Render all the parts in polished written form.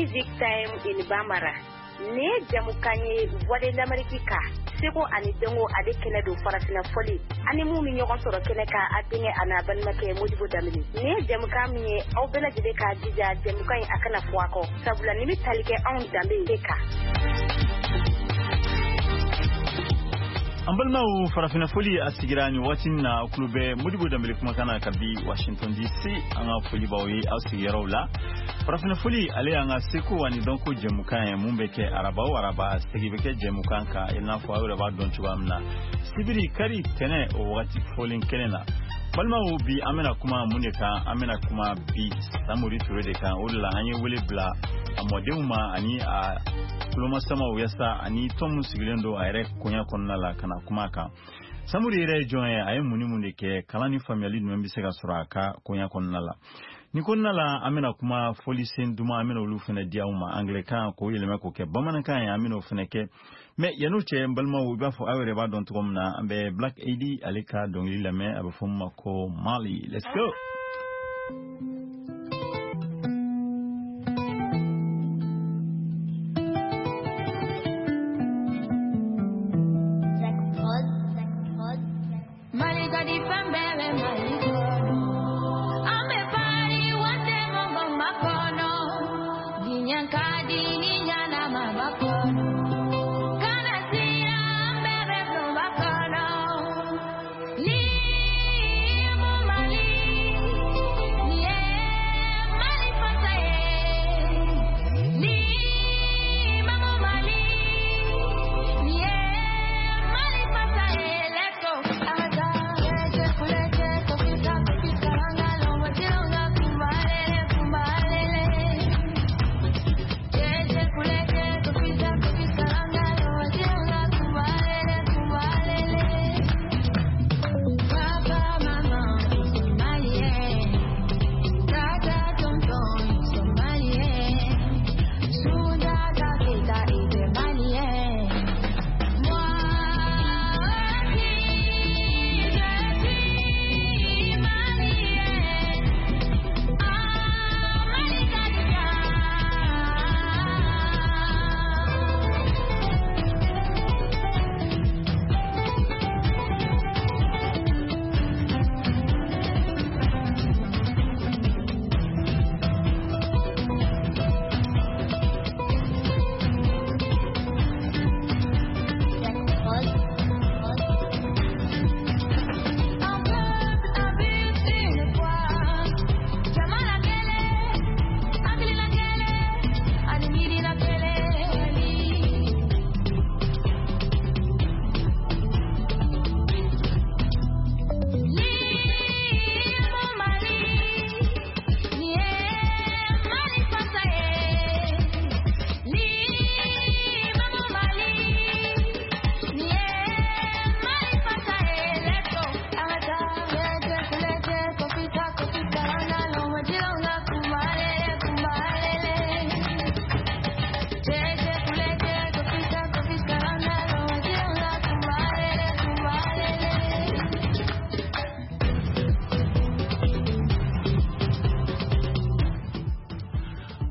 Music Time in Bambara. Nin ye jamukan ye Voix de l'Amérique kan seko ani dɔnko ale kɛnɛ don farafinna fɔli ani mun bɛ ɲɔgɔn sɔrɔ kɛnɛ kan a denkɛ a n'a balimakɛ Modibo Danbele. Nin ye jamukan min ye aw bɛɛ lajɛlen k'a jija jamukan in a kana fɔ a kɔ sabula nin bɛ tali kɛ anw danbe de kan. An balimaw, farafinna foli a sigira nin waati min na, aw tulo bɛ Modibo Danbele kumakan na kabi Washington DC. An ka foli b'aw ye aw sigiyɔrɔw la. Farafinna foli, ale y'an ka seko ani dɔnko jɛmukan ye mun bɛ kɛ araba o araba. Segi bɛ kɛ jɛmukan kan i n'a fɔ aw yɛrɛ b'a dɔn cogoya min na, sibiri, kari, tɛnɛ, o wagati fɔlen kelen na. Balimaw, bi an bɛna kuma mun de kan? An bɛna kuma bi Samori Ture de kan. O de la an ye wele bila a mɔdenw ma ani a tulomasamaw, yasa ani tɔn mun sigilen don a yɛrɛ koɲɛ kɔnɔna la, ka na kuma kan. Samori yɛrɛ ye jɔn ye? A ye mun ni mun de kɛ? Kalan ni faamuyali jumɛn bɛ se ka sɔrɔ a ka koɲɛ kɔnɔna la? Nin kɔnɔna la, an bɛna kuma fɔlisen duman, an bɛna olu fana di aw ma anglais-kan k'o yɛlɛma k'o kɛ bamanankan ye. An bɛna o fana kɛ. Mais yan'o cɛ, n balimaw, i b'a fɔ aw yɛrɛ b'a dɔn cogo min na, an bɛ Black AD ale ka dɔnkili lamɛn, a bɛ fɔ min ma ko Mali. Let's go.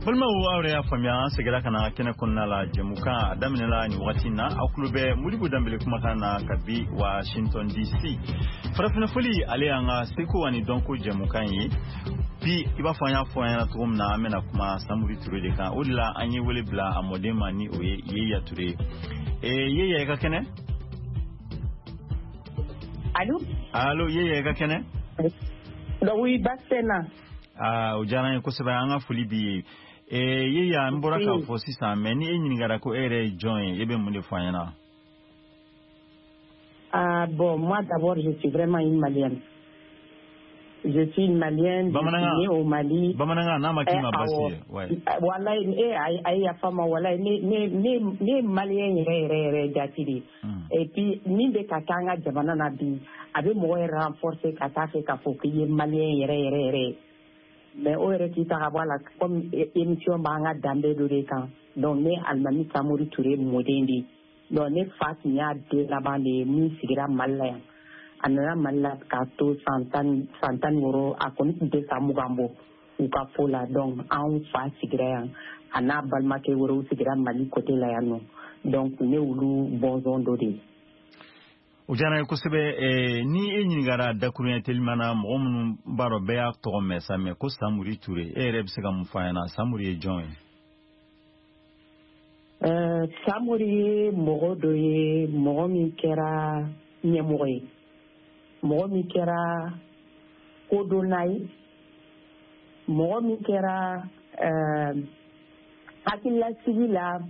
Balimaw, aw yɛrɛ y'a faamuya, an seginna ka na kɛnɛ kɔnɔna la. Jɛmukan a daminɛla nin wagati na. Aw tulo bɛ Modibo Danbele kumakan na kabi Washington DC. Farafinna foli, ale y'an ka seko ani dɔnko jɛmukan ye. Bi, i b'a fɔ an y'a fɔ an ɲɛna cogo min na, an bɛna kuma Samori Ture de kan. O de la an ye wele bila a mɔden ma, ni o ye Yeya Ture ye. Yeya, i ka kɛnɛ? Allo? Allo, Yeya, i ka kɛnɛ? Oui, baasi tɛ n na. Aa, o diyara an ye kosɛbɛ, an ka foli b'i ye. Yeya, n bɔra k'a fɔ sisan, mais ni e ɲininkara ko e yɛrɛ ye jɔn ye, e bɛ mun de fɔ an ɲɛna? Ah, bon, moi d'abord, je suis vraiment une Malienne. Je suis une Malienne, je suis née au Mali. Bamanankan n'a ma k'i ma baasi ye. Ouais. Walayi, e a ye yafa ma, walayi, ne ye Malien yɛrɛ yɛrɛ yɛrɛ jati de. Et puis min bɛ ka kɛ an ka jamana na bi, a bɛ mɔgɔ yɛrɛ renforcer ka taa fɛ k'a fɔ k'i ye Malien yɛrɛ yɛrɛ yɛrɛ ye. Mais o yɛrɛ k'i ta ka bɔ a la, comme émission b'an ka danbe dɔ de kan. Donc ne Alimami Samori Ture mɔden de ye. Donc ne fa tun y'a den laban de ye min sigira Mali la yan. A nana Mali la k'a to san 16, a kɔni tun tɛ san 20 bɔ. U ka fo la. Donc anw fa sigira yan, a n'a balimakɛ wɛrɛw sigira Mali côté la yan nɔ. Donc ne olu bɔnsɔn dɔ de ye. O diyara n ye kosɛbɛ. Ni e ɲininkara dakuruɲɛ telima na, mɔgɔ minnu b'a dɔn, bɛɛ y'a tɔgɔ mɛn sa, mɛ ko Samori Ture, e yɛrɛ bɛ se ka mun fɔ an ɲɛna? Samori ye jɔn ye? Samori ye mɔgɔ dɔ ye, mɔgɔ min kɛra ɲɛmɔgɔ ye, mɔgɔ min kɛra kodɔnna ye, mɔgɔ min kɛra hakililasigi la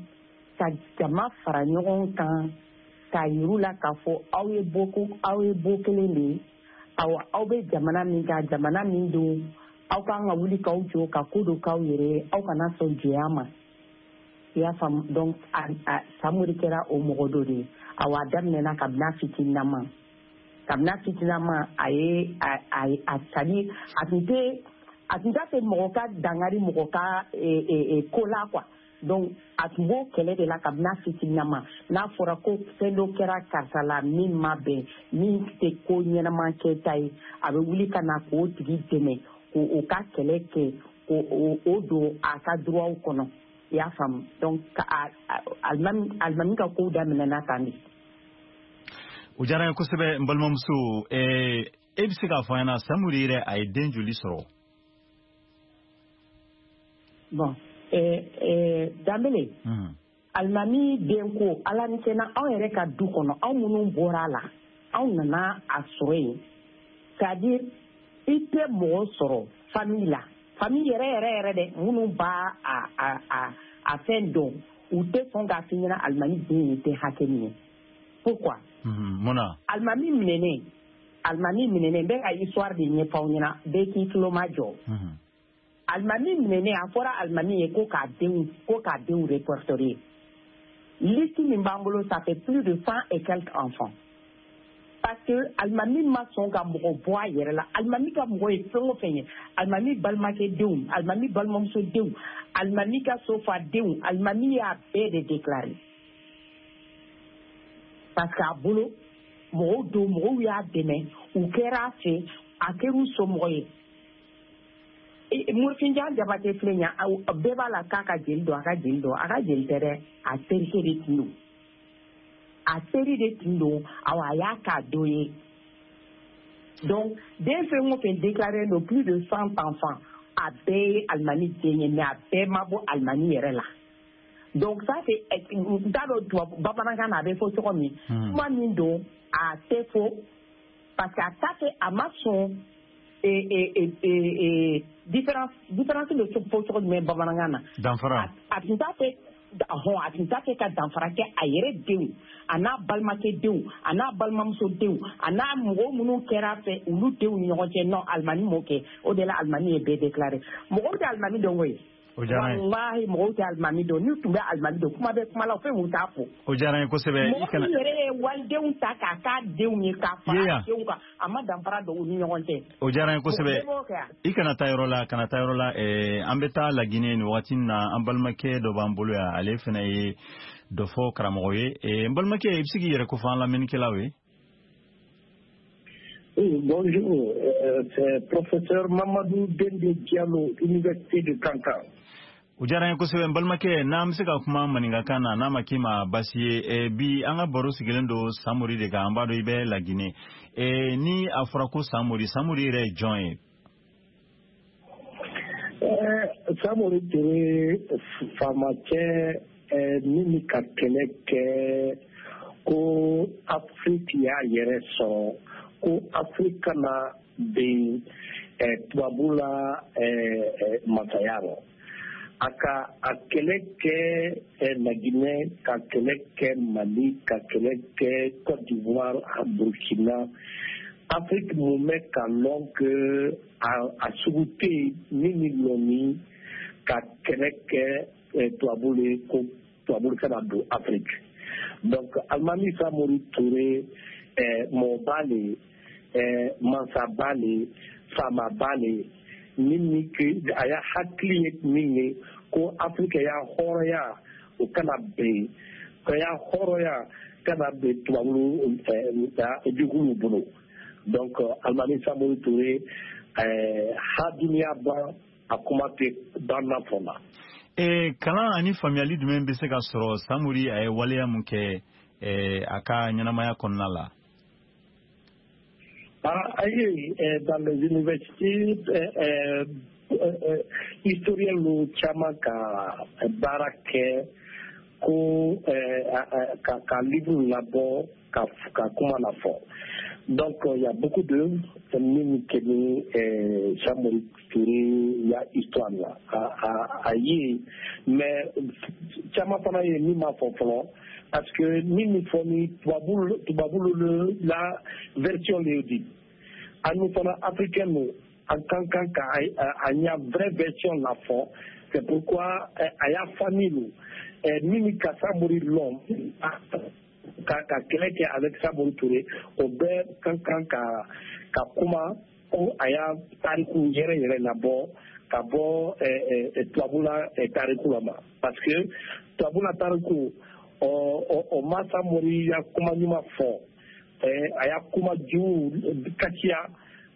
ka jama fara ɲɔgɔn kan, k'a yiru la k'a fɔ aw ye bɔ, aw ye bɔ kelen de ye. Awa, aw bɛ jamana min kan, jamana min don, aw kan ka wuli k'aw jɔ ka ko dɔ k'aw yɛrɛ ye, aw kana sɔn jɛya ma. I y'a faamu? Donc Samori kɛra o mɔgɔ dɔ de ye. Awa, a daminɛna kabini a fitininama, kabini a fitininama, a ye a c'est à dire a tun t'a fɛ mɔgɔ ka dankari mɔgɔ ka ko la quoi. Donc a tun b'o kɛlɛ de la kabini a fitininama. N'a fɔra ko fɛn dɔ kɛra karisa la min ma bɛn, min tɛ ko ɲɛnama kɛta ye, a bɛ wuli ka na k'o tigi dɛmɛ, k'o ka kɛlɛ kɛ, k'o o don a ka droit kɔnɔ. I y'a faamu? Donc alimami ka kow daminɛna tan de. O diyara n ye kosɛbɛ, n balimamuso. E bɛ se k'a fɔ an ɲɛna, Samori yɛrɛ, a ye den joli sɔrɔ? Bon, Danbele, alimami den ko, Ala ni cɛna, anw yɛrɛ ka du kɔnɔ, anw minnu bɔra a la, anw nana a sɔrɔ yen, c'est à dire i tɛ mɔgɔ sɔrɔ famille la, famille yɛrɛ yɛrɛ yɛrɛ dɛ, minnu b'a a fɛn dɔn, u tɛ sɔn k'a f'i ɲɛna alimami den ye tɛ hakɛ min ye. Pourquoi? Mun na? Alimami minɛnen, n bɛ ka histoire de ɲɛfɔ aw ɲɛna, bɛɛ k'i tulo ma jɔ. Alimami minɛnen, a fɔra alimami ye ko k'a denw répertorier. Liste min b'an bolo, ça fait plus de 100 et quelques enfants, parce que alimami ma sɔn ka mɔgɔ bɔ a yɛrɛ la. Alimami ka mɔgɔ ye fɛn o fɛn ye, alimami balimakɛ denw, alimami balimamuso denw, alimami ka sofa denw, alimami y'a bɛɛ de déclaré, parce que a bolo mɔgɔw don, mɔgɔw y'a dɛmɛ, u kɛra a fɛ, a kɛra u somɔgɔ ye. Morifinjan Jabate filɛ nin ye, bɛɛ b'a la k'a ka jeli don, a ka jeli don, a ka jeli tɛ dɛ, a terikɛ de tun don, a teri de tun don. Awa, a y'a k'a dɔ ye. Donc den fɛn o fɛn déclaré don, plus de 100 enfants, a bɛɛ ye alimami den ye, mais a bɛɛ ma bɔ alimami yɛrɛ la. Donc ça c'est, n t'a dɔn tubabu bamanankan na a bɛ fɔ cogo min. Kuma min don, a tɛ fɔ, parce que a t'a fɛ, a ma sɔn différence bɛ fɔ cogo jumɛn bamanankan na? Danfara. A tun t'a fɛ hɔn, a tun t'a fɛ ka danfara kɛ a yɛrɛ denw, a n'a balimakɛ denw, a n'a balimamuso denw, a n'a mɔgɔ minnu kɛra a fɛ, olu denw ni ɲɔgɔn cɛ. Non, alimami m'o kɛ. O de la alimami ye bɛɛ déclaré. Mɔgɔw tɛ alimami dɔn koyi. O diyara n ye. Walahi, mɔgɔw tɛ alimami dɔn. N'u tun bɛ alimami dɔn, kuma bɛ kuma la, fɛn mun t'a fɔ. O diyara n ye kosɛbɛ. I Mɔgɔ kana min yɛrɛ ye walidenw ta k'a k'a denw ye, k'a fara Yeya. denw kan, a ma danfara don u ni ɲɔgɔn cɛ. O diyara n ye kosɛbɛ. Bɛɛ b'o kɛ wa? I kana taa yɔrɔ la, kana taa yɔrɔ la. An bɛ taa Laginɛ nin wagati in na. An balimakɛ dɔ b'an bolo yan, ale fana ye dɔ fɔ karamɔgɔ ye. N balimakɛ, i bɛ se k'i yɛrɛ kofɔ an lamɛnnikɛlaw ye? Oui, bonjour, c'est professeur Mamadou Dende Diallo, Université de Kankan. O diyara n ye kosɛbɛ, n balimakɛ. N'an bɛ se ka kuma maninkakan na, n'a ma k'i ma basi ye. Bi an ka baro sigilen don Samori de kan. An b'a dɔn i bɛ Laginɛ. Ni a fɔra ko Samori, Samori yɛrɛ ye jɔn ye? Samori Touré, faamacɛ min bɛ ka kɛlɛ kɛ ko Afrique y'a yɛrɛ sɔrɔ, ko Afrique kana bin tubabu la masaya rɔ. A ka a kɛlɛ kɛ Laginɛ, ka kɛlɛ kɛ Mali, ka kɛlɛ kɛ Côte d'Ivoire, a Burkina. Afrique mun bɛ ka lɔn que a sugu tɛ yen min ni lɔnni ka kɛlɛ kɛ tubabu le ko tubabu kana don Afrique. Donc Alimami Samori Touré, mɔgɔba le, mansaba le, faamaba le, min ni ke a y'a hakili ye min ye ko Afrique y'a hɔrɔnya, o kana ben, ka y'a hɔrɔnya kana ben tubabu juguw bolo. Donc Alimami Samori Touré, ha duniya ban. A kuma tɛ banna fɔ la. Kalan ani faamuyali jumɛn bɛ se ka sɔrɔ Samori a ye waleya mun kɛ a ka ɲɛnamaya kɔnɔna la? Ayi, dans les universités, historiens caman ka baara kɛ ko ka livre labɔ ka kuma lafɔ. Donc il y a beaucoup de min kɛ ni Samori Touré ya histoire la a ye, mais caman fana ye min ma fɔ fɔlɔ, parce que min fɔ ni tubabu la version de di, an fana africain nu an kan ka a ɲa vraie version la fɔ. C'est pourquoi a y'a famille lu min ka Samori lɔn ka kɛlɛ kɛ avec Samori Touré, o bɛɛ kan ka kuma ko a y'a tariku yɛrɛ yɛrɛ labɔ ka bɔ tubabula tariku la ma, parce que tubabula tariku o ma Samori ya kuma ɲuman fɔ, a y'a kuma jugu kasiya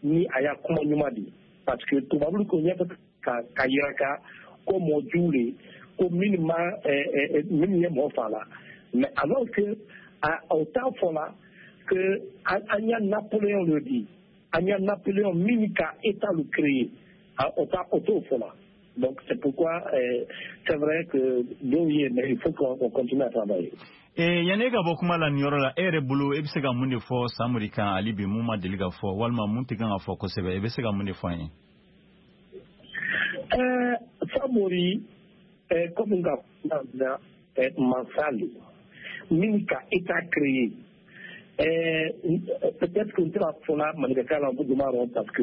ni a y'a kuma ɲuman di, parce que tubabulu ko ɲɛfɛ ka yira ka ko mɔgɔ jugu le ko minnu ma minnu ye mɔgɔ fa la. Mais alors que au temps fɔ la que an y'a Napoléon le di, an y'a Napoléon min ka état le créer, o t'o fɔ la. Donc c'est pourquoi c'est vrai que dɔw ye, mais il faut qu'on continue à travailler. Yanni e ka bɔ kuma la nin yɔrɔ la, e yɛrɛ bolo, e bɛ se ka mun de fɔ Samori kan hali bi mun ma deli ka fɔ walima mun tɛ kan ka fɔ kosɛbɛ, e bɛ se ka mun de fɔ an ye? Samori, comme n ka kuma na, mansa le min ka état créé. Peut-être que n tɛna fɔ la maninkakan la ko parce que,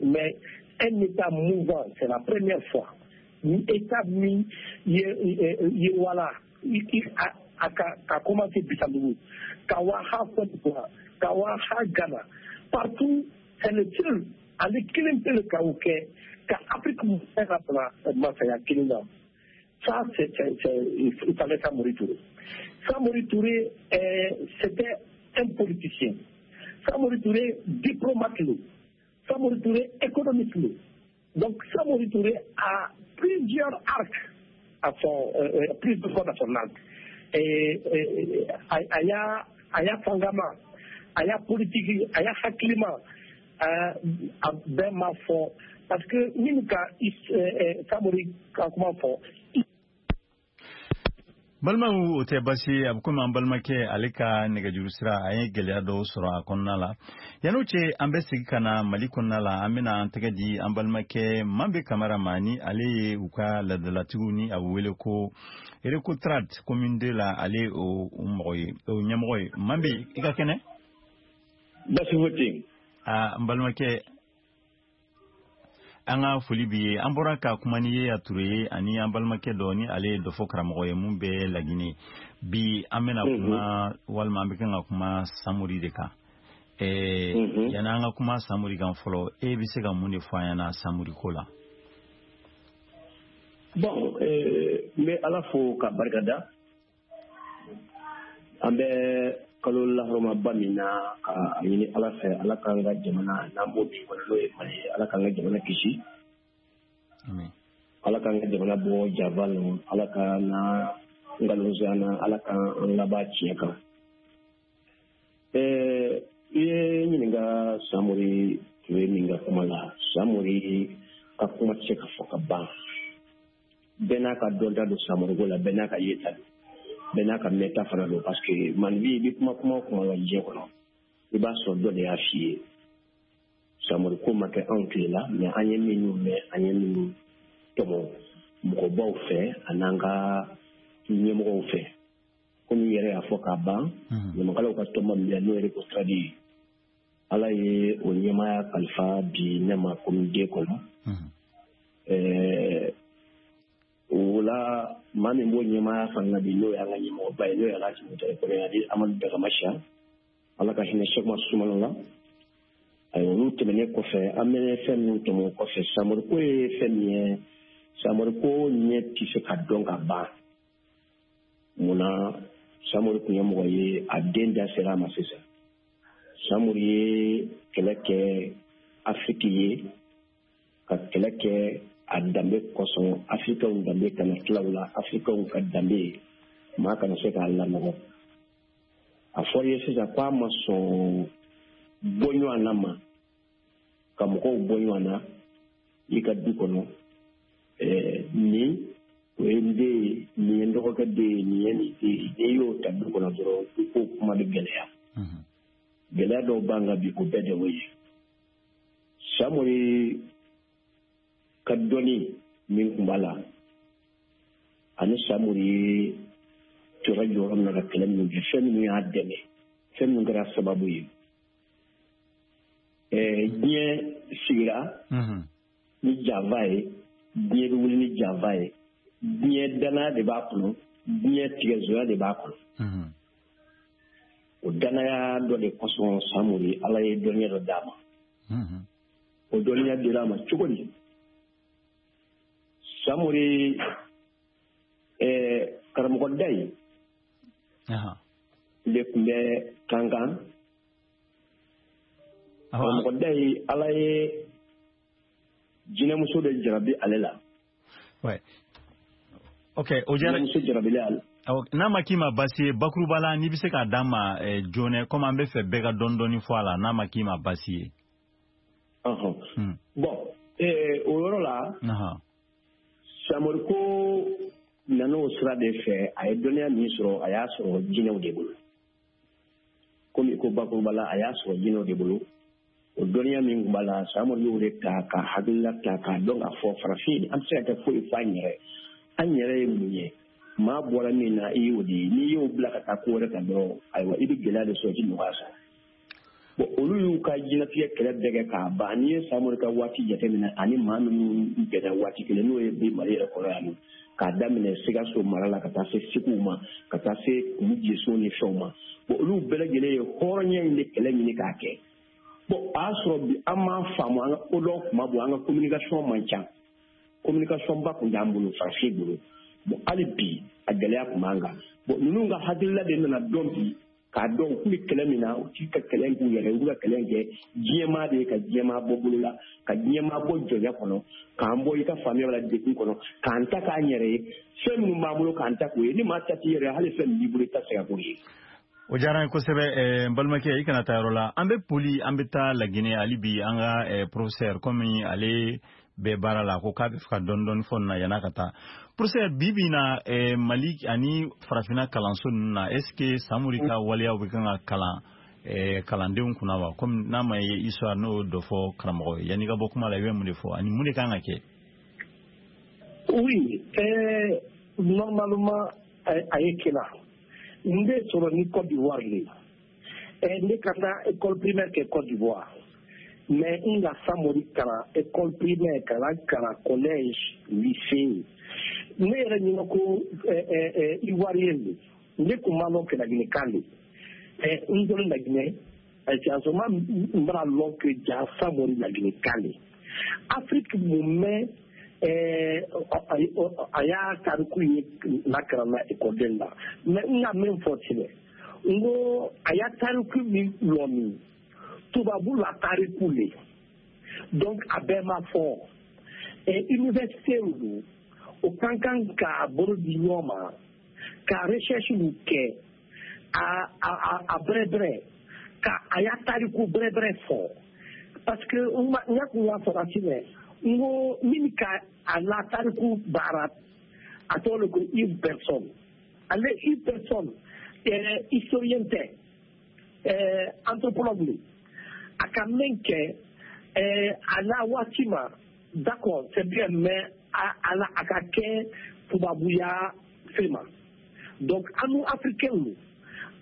mais un état mouvant, c'est la première fois ni état min ye wala a ka commencé Bissandugu, ka wa ha Côte d'Ivoire, ka wa ha Ghana, partout, c'est le seul ale kelen pe le ka o kɛ ka Afrique bɛɛ ka bila masaya kelen na. Ça, c'est il fallait Samori Touré. Samori Touré, c'était un politicien. Samori Touré, diplomate. Samori Touré, économiste. Donc Samori Touré a plusieurs arcs à son, plusieurs cordes à son arc. Et a y'a fangama, a y'a politique, a y'a hakilima, a bɛɛ ma fɔ, parce que min ka Samori ka kuma fɔ. Balimaw, o tɛ basi ye, a bɛ komi an balimakɛ ale ka nɛgɛjuru sira a ye gɛlɛya dɔw sɔrɔ a kɔnɔna la. Yan'o cɛ, an bɛ segin ka na Mali kɔnɔna la, an bɛna an tɛgɛ di an balimakɛ Manbe Kamara ma, ni ale ye u ka laadalatigiw ni a bɛ wele ko Recotrad commune 2 la, ale o mɔgɔ ye, o ɲɛmɔgɔ ye. Manbe, i ka kɛnɛ? Basi foyi tɛ yen. Aa, n balimakɛ, an ka foli b'i ye. An bɔra ka kuma ni ye a Ture ye ani an balimakɛ dɔ ni ale ye dɔfɔ karamɔgɔ ye mun bɛ Laginɛ. Bi an bɛna kuma walima an bɛ kan ka kuma Samori de kan. Yanni an ka kuma Samori kan fɔlɔ, e bɛ se ka mun de fɔ an ɲɛna Samori ko la? Bon, n bɛ Ala fo ka barika da. An bɛ kalo lahɔrɔmaba min na, ka a ɲini Ala fɛ, Ala k'an ka jamana n'an b'o bi kɔnɔ, n'o ye Mali ye, Ala k'an ka jamana kisi. Ala k'an ka jamana bɔ jaba la, Ala ka na nkalonzoya na, Ala k'an laban tiɲɛ kan. I ye ɲininka Samori Ture min ka kuma la, Samori ka kuma tɛ se ka fɔ ka ban. Bɛɛ n'a ka dɔnta don Samori ko la, bɛɛ n'a ka yeta don, bɛɛ n'a ka mɛnta fana don, parce que Mali i bɛ kuma kuma o kuma la diɲɛ kɔnɔ, i b'a sɔrɔ dɔ de y'a f'i ye. Samori ko ma kɛ anw tile la, mais an ye minnu mɛn, an ye minnu tɔmɔ mɔgɔbaw fɛ an'an ka ɲɛmɔgɔw fɛ, komi i yɛrɛ y'a fɔ k'a ban, ɲamakalaw ka tɔnba min bɛ n'o ye Recotrad ye, Ala ye o ɲɛmaaya kalifa bi ne ma commune 2 kɔnɔ. O la, maa min b'o ɲɛmaaya fana na bi, n'o y'an ka ɲɛmɔgɔba ye, n'o ye Alhaji Mutari Kɔnɛ ani Amadu Dagamasiya, Ala ka hinɛ Sɛkuma Sumano la. Ayiwa, olu tɛmɛnen kɔfɛ, an bɛ fɛn minnu tɔmɔ o kɔfɛ, Samori ko ye fɛn min ye, Samori ko ɲɛ tɛ se ka dɔn ka ban. Munna? Samori tun ye mɔgɔ ye, a den da sera a ma sisan. Samori ye kɛlɛ kɛ Afiriki ye, ka kɛlɛ kɛ A danbe kosɔn, Africainw danbe kana tila u la, Africainw ka danbe maa kana se k'a lanɔgɔ. A fɔra ye sisan k'a ma sɔn bɔ ɲɔgɔn na ma, ka mɔgɔw bɔ ɲɔgɔn na i ka du kɔnɔ. Nin o ye n den ye, nin ye n dɔgɔkɛ den ye, nin ye nin den ye. N'i y'o ta du kɔnɔ dɔrɔn, i ko kuma bɛ gɛlɛya. Gɛlɛya dɔw b'an kan bi, o bɛɛ de y'o ye. Samori ka dɔnni min tun b'a la, ani Samori ye jɔra jɔyɔrɔ min na ka kɛlɛ minnu kɛ, fɛn minnu y'a dɛmɛ, fɛn minnu kɛra sababu ye. Diɲɛ sigira ni janfa ye, diɲɛ bɛ wuli ni janfa ye, diɲɛ danaya de b'a kɔnɔ, diɲɛ tigɛzoya de b'a kɔnɔ. O danaya dɔ de kosɔn Samori Ala ye dɔnniya dɔ d'a ma. O dɔnniya dira a ma cogo di? Samori karamɔgɔ da ye de tun bɛ Kankan. Karamɔgɔ da ye, Ala ye jinɛmuso de jarabi ale la. Ouais. Ok, o diyara. Jinɛmuso jarabili ale. N'a ma k'i ma baasi ye, bakuruba la, n'i bɛ se k'a d'an ma joona, komi an bɛ fɛ bɛɛ ka dɔɔni dɔɔni fɔ a la, n'a ma k'i ma baasi ye. Bon, o yɔrɔ la, Samori ko nana o sira de fɛ. A ye dɔnniya min sɔrɔ, a y'a sɔrɔ jinɛw de bolo. Komi ko bakuruba la, a y'a sɔrɔ jinɛw de bolo. O dɔnniya min tun b'a la, Samori y'o de ta ka hakilila ta k'a dɔn k'a fɔ farafin an tɛ se ka kɛ foyi f'an yɛrɛ. An yɛrɛ ye mun ye? Maa bɔra min na, i y'o de ye. N'i y'o bila ka taa ko wɛrɛ kan dɔrɔn, ayiwa, i bɛ gɛlɛya de sɔrɔ, i tɛ nɔgɔya sɔrɔ. Bon, olu y'u ka jinɛtigɛ kɛlɛ bɛɛ kɛ k'a ban. N'i ye Samori ka waati jateminɛ ani maa minnu bɛnna waati kelen, n'o ye bi Mali yɛrɛ kɔnɔ yan nɔ, k'a daminɛ Sikaso mara la ka taa se Segu ma, ka taa se Kulu ni fɛnw ma, bon, olu bɛɛ lajɛlen ye hɔrɔnya in de kɛlɛ ɲini k'a kɛ. Bon, a y'a sɔrɔ bi an m'a faamu, an ka kodɔn kuma bɔ, an ka communication man ca, communication ba tun t'an bolo, farafin bolo. Bon, hali bi a gɛlɛya tun b'an kan. Bon, ninnu ka hakilila de nana dɔn bi k'a dɔn u tun bɛ kɛlɛ min na, u t'i ka kɛlɛ k'u yɛrɛ, u bɛ ka kɛlɛ kɛ diɲɛmaa de ye, ka diɲɛmaa bɔ bolo la, ka diɲɛmaa bɔ jɔnya kɔnɔ, k'an bɔ i ka faamuya la degun kɔnɔ, k'an ta k'an yɛrɛ ye, fɛn minnu b'an bolo k'an ta k'o ye. Ni maa ta t'i yɛrɛ ye, hali fɛn min b'i bolo, i tɛ se ka k'o ye. O diyara n ye kosɛbɛ. N balimakɛ, i kana taa yɔrɔ la. An bɛ boli, an bɛ taa Laginɛ hali bi. An ka professeur, komi ale bɛ baara la, ko k'a bɛ fɛ ka dɔɔni dɔɔni fɔ nin na yan'a ka taa. Professeur, bi bi in na, Mali ani farafinna kalanso ninnu na, est ce que Samori ka waleyaw bɛ kan ka kalan kalandenw kunna wa? Komi n'a ma ye histoire, n'o y'o dɔ fɔ karamɔgɔ ye, yanni i ka bɔ kuma la, i bɛ mun de fɔ ani mun de kan ka kɛ? Oui, normalement a ye kɛla n bɛ sɔrɔ ni Côte d'Ivoire le. Ne ka taa école primaire kɛ Côte d'Ivoire, mais n ka Samori kalan école primaire, kalan collège, lycée. Ne yɛrɛ ɲinɛ ko Ivoirien de, ne kun ma lɔn kɛ de. N dɔrɔn Laginɛ siyasoma, n b'a lɔn que ja Samori Laginɛkan de. Afrique mun mɛn, a y'a tariku ye lakaranna ekɔliden la. Mais n ka min fɔ tigɛ, n ko a y'a tariku min lɔ min tubabu la tariku le, donc a bɛɛ ma fɔ. Université do, o kan kan k'a bolo di ɲɔgɔn ma ka recherche kɛ a bɛrɛ bɛrɛ ka a y'a tariku bɛrɛ bɛrɛ fɔ, parce que n y'a kun y'a fɔ ka mɛn, n ko min ka a la tariku baara, a tɔgɔ le ko Yves Berson. Ale Yves Berson, historien tɛ, anthropologue le. A ka min kɛ a la waati ma, d'accord, c'est bien, mais a la a ka kɛ tubabuya fɛn ma. Donc an nu Africain,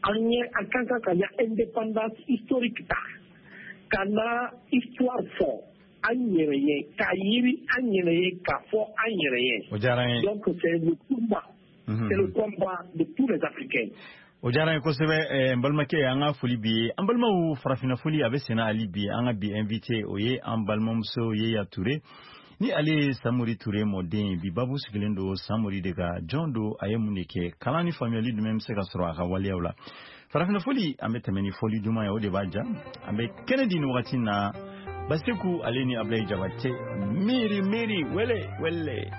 an ye an kan ka ya indépendance historique ta ka na histoire fɔ an yɛrɛ ye, k'a yiri an yɛrɛ ye, k'a fɔ an yɛrɛ ye. O diyara n ye. Donc c'est le combat, c'est le combat de tous les Africains. O diyara n ye kosɛbɛ, n balimakɛ. An ka foli bi ye. An balimaw, farafinna foli a bɛ senna hali bi. An ka bi invité, o ye an balimamuso Yeya Ture, ni ale ye Samori Ture mɔden ye. Bi babu sigilen don Samori de kan. Jɔn don? A ye mun de kɛ? Kalan ni faamuyali jumɛn bɛ se ka sɔrɔ a ka waleyaw la? Farafinna foli, an bɛ tɛmɛ ni fɔli duman ye, o de b'a ja. An bɛ kɛnɛ di nin wagati na. Basiku ale ni Ablaye Jabate miiri miiri wele wele.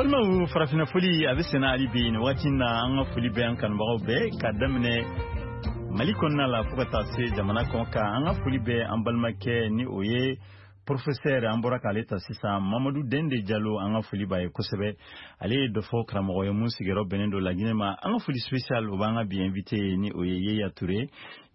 Balimaw, farafinna foli a bɛ senna hali bi nin waati in na. An ka foli bɛ an kanubagaw bɛɛ ka daminɛ Mali kɔnɔna la fo ka taa se jamana kɔ kan. An ka foli bɛ an balimakɛ ni o ye professeur, an bɔra k'ale ta sisan, Mamadu Dende Jalo. An ka foli b'a ye kosɛbɛ. Ale ye dɔfɔ karamɔgɔ ye mun sigiyɔrɔ bɛnnen don Laginɛ ma. An ka foli spécial o b'an ka bi invité ye ni o ye Yeya Ture,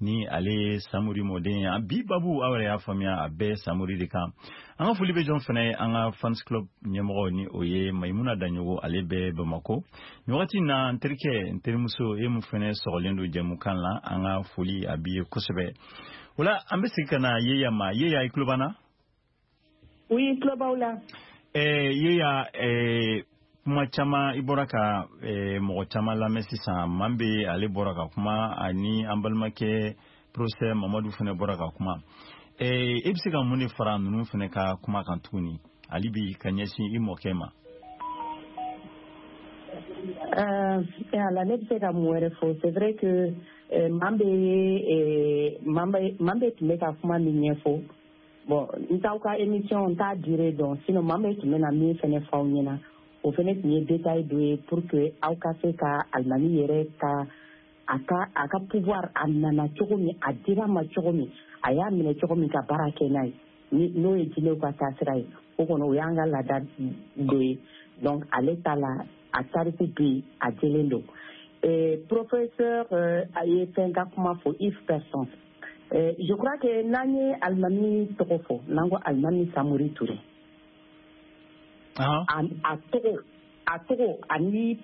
ni ale ye Samori mɔden ye. Bi babu, aw yɛrɛ y'a faamuya, a bɛɛ Samori de kan. An ka foli bɛ jɔn fana ye? An ka fans club ɲɛmɔgɔ ni o ye Mayimuna Daɲogo, ale bɛ Bamako nin wagati in na. N terikɛ, n terimuso, e mun fana sɔgɔlen don jɛmukan la, an ka foli a b'i ye kosɛbɛ. O la, an bɛ segin ka na Yeya ma. Yeya, i tulo b'an na? Oui, tulo b'aw la. Yeya, Kuma caman i bɔra ka mɔgɔ caman lamɛn sisan. Manbe ale bɔra ka kuma, ani an balimakɛ professeur Mamadu fana bɔra ka kuma. E bɛ se ka mun de fara ninnu fana ka kuma kan tuguni hali bi ka ɲɛsin i mɔkɛ ma? Ala, ne bɛ se ka mun wɛrɛ fɔ? C'est vrai que Manbe tun bɛ ka kuma min ɲɛfɔ, bon, n t'aw ka émission, n t'a durée dɔn, sinon Manbe tun bɛna min fɛnɛ fɔ aw ɲɛna, o fɛnɛ tun ye détail dɔ ye pour que aw ka se ka alimami yɛrɛ ka a ka pouvoir, a nana cogo min, a dira ma cogo min, a y'a minɛ cogo min ka baara kɛ n'a ye, ni n'o ye jinɛw ka taasira ye. O kɔni, o y'an ka laada dɔ ye. Donc ale ta la, a tariku bɛ yen, a jɛlen don. Professeur a ye fɛn ka kuma fɔ, Yves Person. Je crois que n'an ye alimami tɔgɔ fɔ, n'an ko alimami Samori Touré, a tɔgɔ ani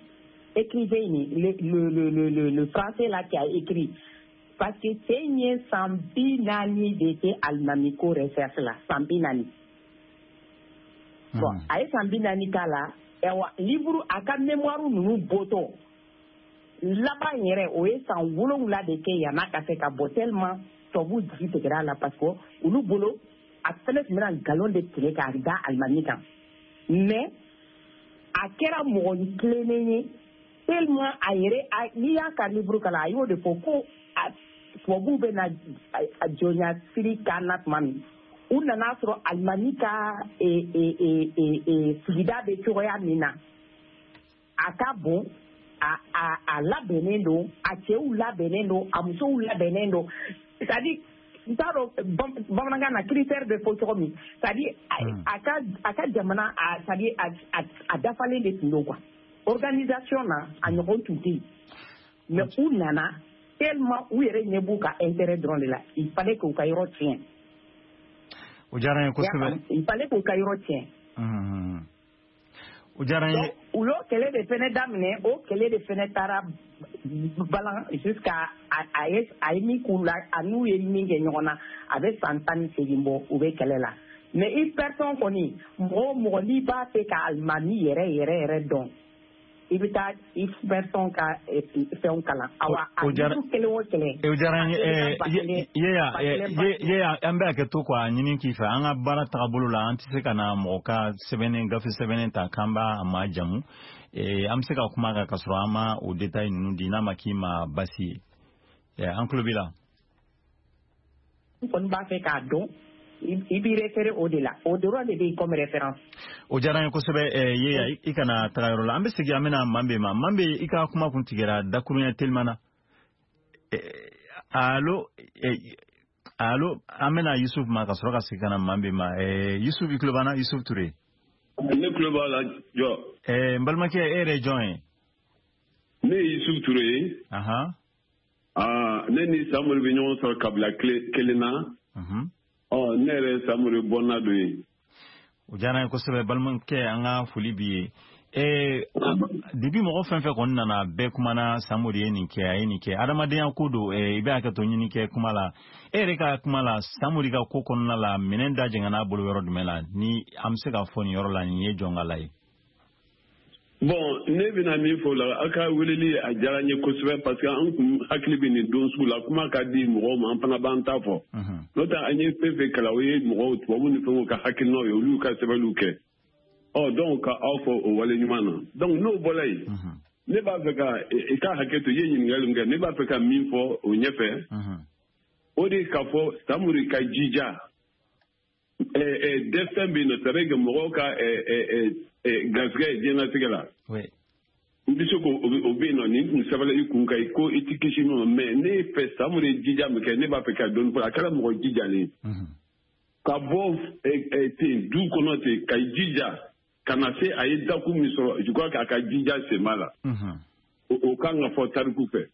écrivain ni le français là qui a écrit, parce que cɛ in ye san 40 de kɛ alimami ko recherche la, san 40. Bon, a ye san 40 k'a la. Ayiwa, livre, a ka mémoire ninnu bɔtɔ laban yɛrɛ, o ye san 7 de kɛ yann'a ka se ka bɔ, tellement tubabuw jigi tigɛra a la, parce que olu bolo a fɛnɛ tun bɛna nkalon de tigɛ k'a da alimami kan. Mais a kɛra mɔgɔ tilennen ye tellement a yɛrɛ, n'i y'a ka livre kalan, a y'o de fɔ ko tubabuw bɛ na a jɔnya siri k'an na tuma min, u nana sɔrɔ alimami ka sigida bɛ cogoya min na, a ka bon, a labɛnnen don, a cɛw labɛnnen don, a musow labɛnnen don. C'est à dire, n t'a dɔn bamanankan na critère bɛ fɔ cogo min, c'est à dire a ka jamana, c'est à dire a dafalen de tun don quoi, organisation na a ɲɔgɔn tun tɛ yen. Mais u nana, tellement u yɛrɛ ɲɛ b'u ka intérêt dɔrɔn de la, il fallait k'u ka yɔrɔ tiɲɛ. O diyara n ye kosɛbɛ. Il fallait k'u ka yɔrɔ tiɲɛ. O diyara n ye. U y'o kɛlɛ de fɛnɛ daminɛ, o kɛlɛ de fɛnɛ taara balan jusqu'à a ye min k'u la, a n'u ye min kɛ ɲɔgɔn na, a bɛ san 18 bɔ u bɛ kɛlɛ la. Mais Yves Person kɔni, mɔgɔ o mɔgɔ n'i b'a fɛ ka alimami yɛrɛ yɛrɛ yɛrɛ dɔn, i bɛ taa Yves Person ka fɛnw kalan. Awa, a livre kelen o kelen. O diyara n ye. Yeya, an bɛ hakɛ to k'a ɲini k'i fɛ, an ka baara tagabolo la, an tɛ se ka na mɔgɔ ka sɛbɛnnen, gafe sɛbɛnnen ta k'an b'a ma jamu. An bɛ se ka kuma kan ka sɔrɔ an ma o détail ninnu di, n'a ma k'i ma basi ye. An tulo b'i la. N kɔni b'a fɛ k'a dɔn, i b'i référé o de la, o dɔrɔn de bɛ yen comme référence. O diyara n ye kosɛbɛ. Yeya, i kana taga yɔrɔ la, an bɛ segin, an bɛna Manbe ma. Manbe, i ka kuma kun tigɛra dakuruɲɛ teliman na. Allo, allo, an bɛna Yusuf ma ka sɔrɔ ka segin ka na Manbe ma. Yusuf, i tulo b'an na? Yusuf Ture. Ne tulo b'a la jɔ. N balimakɛ, e yɛrɛ ye jɔn ye? Ne ye Yusuf Ture ye. Aa, ne ni Samori bɛ ɲɔgɔn sɔrɔ kabila kelen na. Ɔ, ne yɛrɛ ye Samori bɔnna dɔ ye. O diyara n ye kosɛbɛ, balimakɛ, an ka foli b'i ye. Depuis mɔgɔ fɛn fɛn kɔni nana, bɛɛ kumana Samori ye nin kɛ, a ye nin kɛ, adamadenya ko don. I bɛ hakɛ to ɲini kɛ kuma la, e yɛrɛ ka kuma la, Samori ka ko kɔnɔna la, minɛn da jɛngɛn'a bolo yɔrɔ jumɛn la, ni an bɛ se k'a fɔ nin yɔrɔ la nin ye jɔn ka la ye? Bon, ne bɛna min fɔ o la, aw ka weleli a diyara n ye kosɛbɛ, parce que an kun hakili bɛ nin don sugu la. Kuma ka di mɔgɔw ma, an fana b'an ta fɔ. N'o tɛ, an ye fɛn fɛn kalan, o ye mɔgɔw tubabu ni fɛnw ka hakilinaw ye, olu ka sɛbɛnniw kɛ. Ɔ, donc ka aw fɔ o wale ɲuman na. Donc n'o bɔra yen, ne b'a fɛ ka i ka hakɛ to, i ye ɲininkali min kɛ, ne b'a fɛ ka min fɔ o ɲɛfɛ, o de ye k'a fɔ Samori ka jija destin bɛ yen nɔ, c'est à dire que mɔgɔw ka garisɛgɛ ye diɲɛlatigɛ la. I bɛ se k'o, o bɛ yen nɔ, nin tun sɛbɛnna i kun kan ko i ti kisi min ma. Mais ne fɛ, Samori ye jija min kɛ, ne b'a fɛ ka dɔɔni fɔ. A kɛra mɔgɔ jijalen ye. Ka bɔ ten du kɔnɔ ten, ka jija ka na se a ye dakun min sɔrɔ, je crois que a ka jija sen b'a la. O kan ka fɔ tariku fɛ.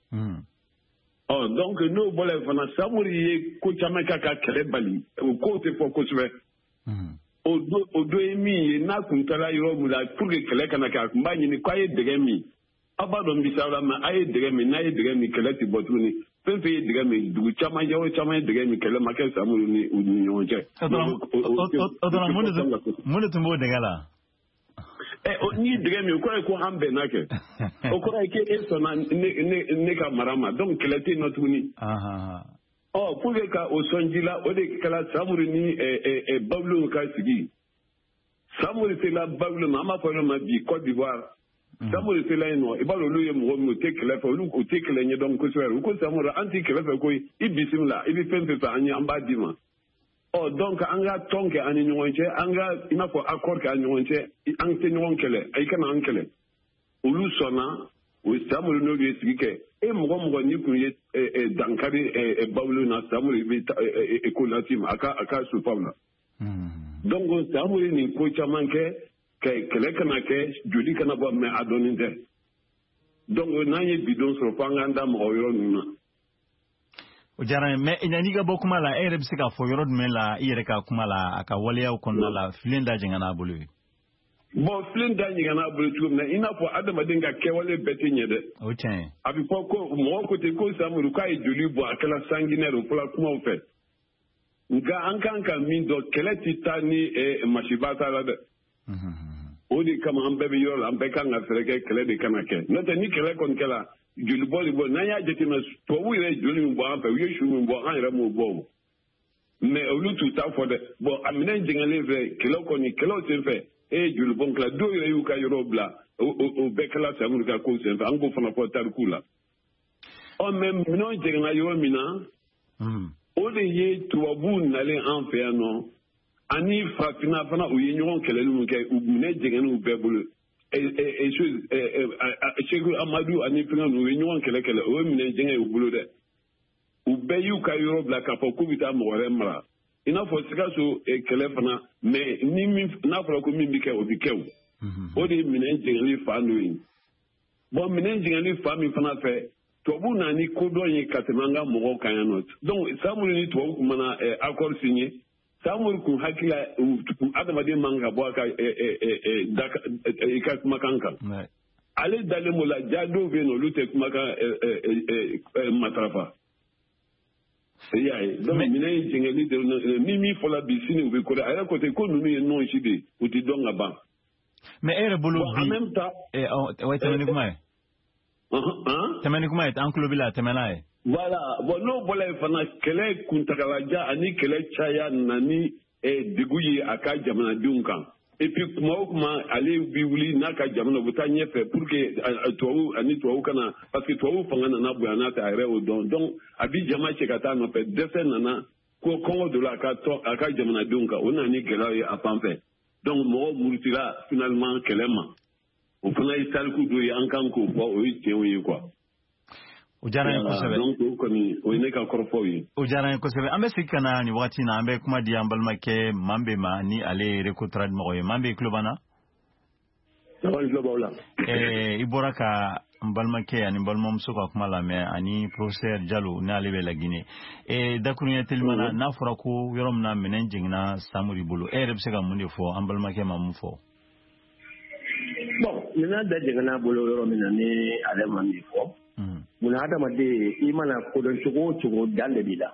Ɔ, donc n'o bɔra yen fana, Samori ye ko caman kɛ ka kɛlɛ bali, o kow tɛ fɔ kosɛbɛ. O dɔ ye min ye, n'a kun taara yɔrɔ min la pour que kɛlɛ kana kɛ, a tun b'a ɲini k'a ye dɛgɛ min. Aw b'a dɔn misali la, ma a ye dɛgɛ min, n'a ye dɛgɛ min, kɛlɛ tɛ bɔ tuguni. Fɛn fɛn ye dɛgɛ min, dugu caman, yɔrɔ caman ye dɛgɛ min, kɛlɛ ma kɛ Samori ni u ni ɲɔgɔn cɛ. O dɔrɔn, mun de tun b'o dɛgɛ la? N'i dɛgɛ min o kɔrɔ ye ko an bɛnna kɛ. O kɔrɔ ye k'e sɔnna ne ka mara ma, donc kɛlɛ tɛ yen nɔ tuguni. Ɔ pour que ka o sɔn ji la, o de kɛra Samori ni Bawulenw ka sigi. Samori sela Bawulen ma, an b'a fɔ yɔrɔ ma bi Côte d'Ivoire. Samori sela yen nɔ, i b'a dɔn olu ye mɔgɔ min, u tɛ kɛlɛ fɛ, olu u tɛ kɛlɛ ɲɛdɔn kosɛbɛ. U ko Samori, an tɛ kɛlɛ fɛ koyi, i bisimila, i bɛ fɛn fɛn fɛ an ye, an b'a d'i ma. Ɔ donc an ka tɔn kɛ an ni ɲɔgɔn cɛ, an ka i n'a fɔ accord kɛ an ni ɲɔgɔn cɛ, an tɛ ɲɔgɔn kɛlɛ, i kana an kɛlɛ. Olu sɔnna, o Samori n'olu ye sigi kɛ. E mɔgɔ n'i kun ye dankari Bawulen na, Samori bɛ ko las'i ma a ka sufaw la. Donc Samori nin ko caman kɛ, kɛlɛ kana kɛ, joli kana bɔ, mais a dɔɔnin tɛ. Donc n'an ye bidon sɔrɔ, fo an k'an da mɔgɔ yɔrɔ ninnu na. O diyara n ye, mais yanni i ka bɔ kuma la, e yɛrɛ bɛ se k'a fɔ yɔrɔ jumɛn la i yɛrɛ ka kuma la, a ka waleyaw kɔnɔna la, filen da jɛngɛnna a bolo ye? Bon, filen da jɛngɛnna a bolo cogo min na, i n'a fɔ adamaden ka kɛwale bɛɛ tɛ ɲɛ dɛ. O tiɲɛ ye. A bɛ fɔ ko mɔgɔ ko ten ko Samori k'a ye joli bɔ, a kɛra sanguinaire, o fɔra kumaw fɛ. Nka an kan ka min dɔn, kɛlɛ tɛ taa ni masiba t'a la dɛ. O de kama an bɛɛ bɛ yɔrɔ la, an bɛɛ kan ka fɛɛrɛ kɛ kɛlɛ de kana kɛ. N'o tɛ ni kɛlɛ kɔni kɛra, jolibɔ de bɔ. N'an y'a jateminɛ, tubabuw yɛrɛ ye joli min bɔ an fɛ, u ye su min bɔ, an yɛrɛ m'o bɔ o. Mais olu t'u ta fɔ dɛ. Bon, a minɛn jɛngɛlen fɛ, kɛlɛw kɔni, kɛlɛw sen fɛ, e ye jolibɔn kɛla, dɔw yɛrɛ y'u ka yɔrɔw bila, o bɛɛ kɛla Samori ka kow sen fɛ, an k'o fana fɔ tariku la. Ɔ mais minɛnw jɛngɛnna yɔrɔ min na, o de ye tubabuw nalen an fɛ yan nɔ, ani farafinna fana u ye ɲɔgɔn kɛlɛli min kɛ, u minɛ jɛngɛn'u bɛɛ bolo. Seku Amadu ani fɛngɛ ninnu, u ye ɲɔgɔn kɛlɛ kɛlɛ, o ye minɛ jɛngɛ y'u bolo dɛ. U bɛɛ y'u ka yɔrɔ bila k'a fɔ k'u bɛ taa mɔgɔ wɛrɛ mara. I n'a fɔ Sikaso kɛlɛ fana, mais ni min n'a fɔra ko min bɛ kɛ, o bɛ kɛ o. O de ye minɛn jɛngɛli fan dɔ ye. Bon, minɛn jɛngɛli fan min fana fɛ, tubabu nana ni kodɔn ye ka tɛmɛ an ka mɔgɔw kan yan nɔ. Donc Samori ni tubabu tun mana accord signé, Samori kun hakili la adamaden man ka bɔ a ka i ka kumakan kan. Ale dalen b'o la, ja dɔw bɛ yen nɔ, olu tɛ kumakan matarafa. I y'a ye, donc minɛn jɛngɛli de ni min fɔla bi, sini u bɛ kɔrɔ. A yɛrɛ ko ten ko ninnu ye nɔn si de ye, u tɛ dɔn ka ban. Mais e yɛrɛ bolo bi, en même temps, tɛmɛ ni kuma ye. Tɛmɛ ni kuma ye, an tulo b'i la, tɛmɛ n'a ye. Voilà, bon n'o bɔra yen fana, kɛlɛ kuntagalajan ani kɛlɛ caya nana ni degun ye a ka jamanadenw kan. Et puis kuma o kuma ale bi wuli n'a ka jamana, u bɛ taa ɲɛfɛ pour que tubabu ani tubabu kana, parce que tubabu fanga nana bonya n'a fɛ, a yɛrɛ y'o dɔn. Donc a bi jama cɛ ka taa nɔfɛ, dɛsɛ nana ko kɔngɔ donna a ka tɔn a ka jamanadenw kan, o nana ni gɛlɛyaw ye a fan fɛ. Donc mɔgɔw murutila finalement kɛlɛ ma. O fana ye tariku dɔ ye, an kan k'o fɔ, o ye tiɲɛw ye quoi. O diyara n ye kosɛbɛ. Donc o kɔni o ye ne ka kɔrɔfɔw ye. O diyara n ye kosɛbɛ. An bɛ segin ka na nin wagati in na, an bɛ kuma di an balimakɛ Manbe ma, ni ale ye Recotrade mɔgɔ ye. Manbe, i tulo b'an na? Awɔ, n tulo b'aw la. I bɔra ka n balimakɛ ani n balimamuso ka kuma lamɛn, ani professeur Jalo, n'ale bɛ Laginɛ. Dakuruɲɛ telima na, n'a fɔra ko yɔrɔ min na minɛn jiginna Samori bolo, e yɛrɛ bɛ se ka mun de fɔ an balimakɛ ma mun fɔ? Bon, minɛn da jiginna bolo yɔrɔ min na, ni ale ma min fɔ. Munna adamaden i mana kodɔn cogo o cogo, dan de b'i la.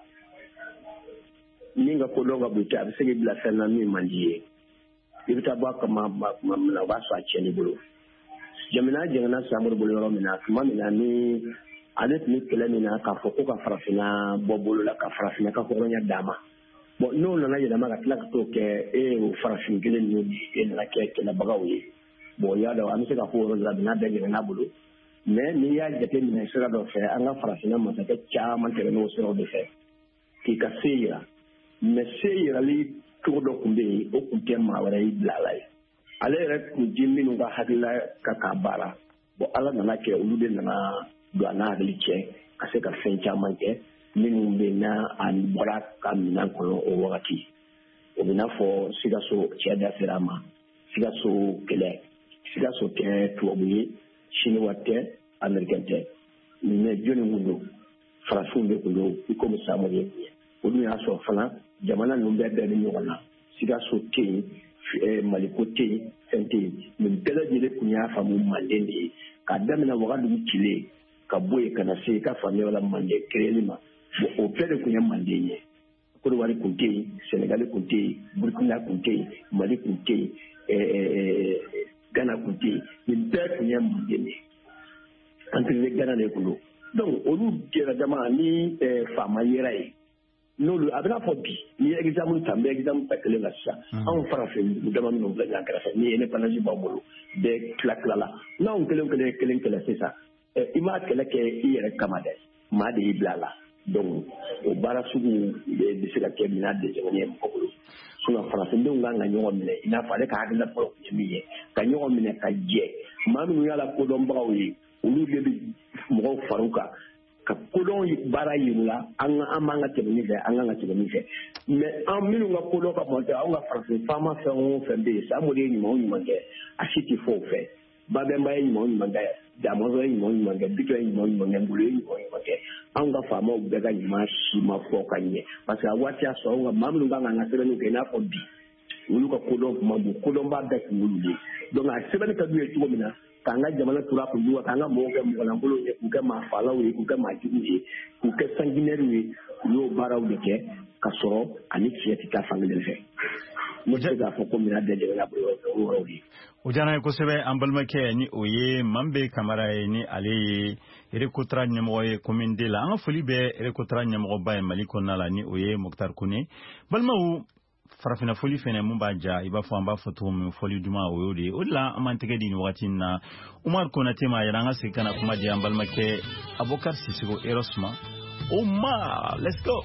Min ka kodɔn ka bon, a bɛ se k'i bila fɛn na min man di ye. I bɛ taa bɔ a kama tuma min na, o b'a sɔrɔ a tiɲɛn'i bolo. Jamana jɛngɛnna Samori bolo yɔrɔ min na, tuma min na ni ale tun bɛ kɛlɛ min na k'a fɔ ko ka farafinna bɔ bolo la, ka farafinna ka hɔrɔnya d'a ma. Bon, n'o nana yɛlɛma ka tila ka t'o kɛ, e y'o farafin kelen ninnu de e nana kɛ kɛlɛbagaw ye. Bon, y'a dɔn an bɛ se ka fɔ o yɔrɔ de la, minɛn bɛɛ jɛngɛnna bolo. Mais n'i y'a jateminɛ sira dɔ fɛ, an ka farafinna masakɛ caman tɛmɛn'o siraw de fɛ k'i ka se yira. Mais se yirali cogo dɔ tun bɛ yen, o tun tɛ maa wɛrɛ y'i bila a la ye. Ale yɛrɛ tun ti minnu ka hakilila ka k'a baara. Bon, Ala nana kɛ olu de nana don a n'a hakili cɛ ka se ka fɛn caman kɛ minnu bɛ n'a a bɔra ka minɛn kɔnɔ o wagati. O bɛ n'a fɔ Sikaso cɛ da sera a ma, Sikaso kɛlɛ, Sikaso tɛ tubabu ye, Chinois tɛ, Américain tɛ. Mais jɔnni kun don? Farafinw de kun don, i komi Samori ye kun ye. O dun y'a sɔrɔ fana jamana ninnu bɛɛ bɛ ɲɔgɔn na. Sikaso tɛ yen, Maliko tɛ yen, fɛn tɛ yen. Nin bɛɛ lajɛlen kun y'a faamu Manden de ye. K'a daminɛ Wagadugu cilen ka bɔ yen ka na se i ka faamuya la Manden créeli ma. Bon, o bɛɛ de kun ye Manden ye. Côte d'Ivoire kun tɛ yen, Sénégal kun tɛ yen, Burkina kun tɛ yen, Mali kun tɛ yen, Gana kun tɛ yen, nin bɛɛ tun ye manden de ye, empire de Gana de kun don. Donc olu jɛra dama ni faama yera ye n'olu a bɛna fɔ bi n'i ye exemple ta, n bɛ exemple ta kelen na sisan, anw farafin dama minnu filɛ ɲɔgɔn kɛrɛfɛ ni indépendance b'aw bolo, bɛɛ tila tilala, n'anw kelen kelen kelen kɛlɛ sisan, i m'a kɛlɛ kɛ i yɛrɛ kama dɛ, maa de y'i bila a la. Donc o baara sugu bɛ se ka kɛ minɛn dɛsɛgɛnnen ye mɔgɔ bolo. Sinon farafindenw kan ka ɲɔgɔn minɛ i n'a fɔ ale ka hakilina fɔlɔ tun ye min ye, ka ɲɔgɔn minɛ ka jɛ. Maa minnu y'a la kodɔnbagaw ye, olu de bɛ mɔgɔw far'u kan ka kodɔn baara yir'u la, an b'an ka tɛmɛ min fɛ, an kan ka tɛmɛ min fɛ. Mais an minnu ka kodɔn ka bon tɛ, anw ka farafin faama fɛn o fɛn bɛ yen, Samori ye ɲuman o ɲuman kɛ, a si tɛ fɔ o fɛ. Babɛnba ye ɲuman o ɲuman kɛ, Damɔzɔn ye ɲuman o ɲuman kɛ, Bitɔn ye ɲuman o ɲuman kɛ, Ngolo ye ɲuman o ɲuman kɛ, anw ka faamaw bɛɛ ka ɲuman si ma fɔ ka ɲɛ, parce que a waati y'a sɔrɔ anw ka maa minnu kan k'an ka sɛbɛnniw kɛ i n'a fɔ bi, olu ka kodɔn tun man bon, kodɔnba bɛɛ tun y'olu ye. Donc a sɛbɛnni ka d'u ye cogo min na, k'an ka jamana tura kun jugu, k'an ka mɔgɔw kɛ mɔgɔlankolonw ye, k'u kɛ maa faalaw ye, k'u kɛ maa juguw ye, k'u kɛ sanguinaires ye, u y'o baaraw de kɛ ka sɔrɔ ani tiɲɛ tɛ taa fan kelen fɛ. Ne tɛ se k'a fɔ ko minɛn bɛɛ jamana bolo o yɔrɔw ye. O diyara n ye kosɛbɛ an balimakɛ, ni o ye Manbe Kamara ye, ni ale ye Recotra ɲɛmɔgɔ ye commune D la. An ka foli bɛ Recotra ɲɛmɔgɔba ye Mali kɔnɔna la, ni o ye Mokhtar Kone. Balimaw, farafinna foli fɛnɛ mun b'a ja, i b'a fɔ an b'a fɔ cogo min, fɔli duman o y'o de ye. O de la an b'an tɛgɛ di nin wagati in na Umar Konate ma, yɛrɛ an ka segin ka na kuma di an balimakɛ Abokar Sisoko Eros ma. Omar, let's go.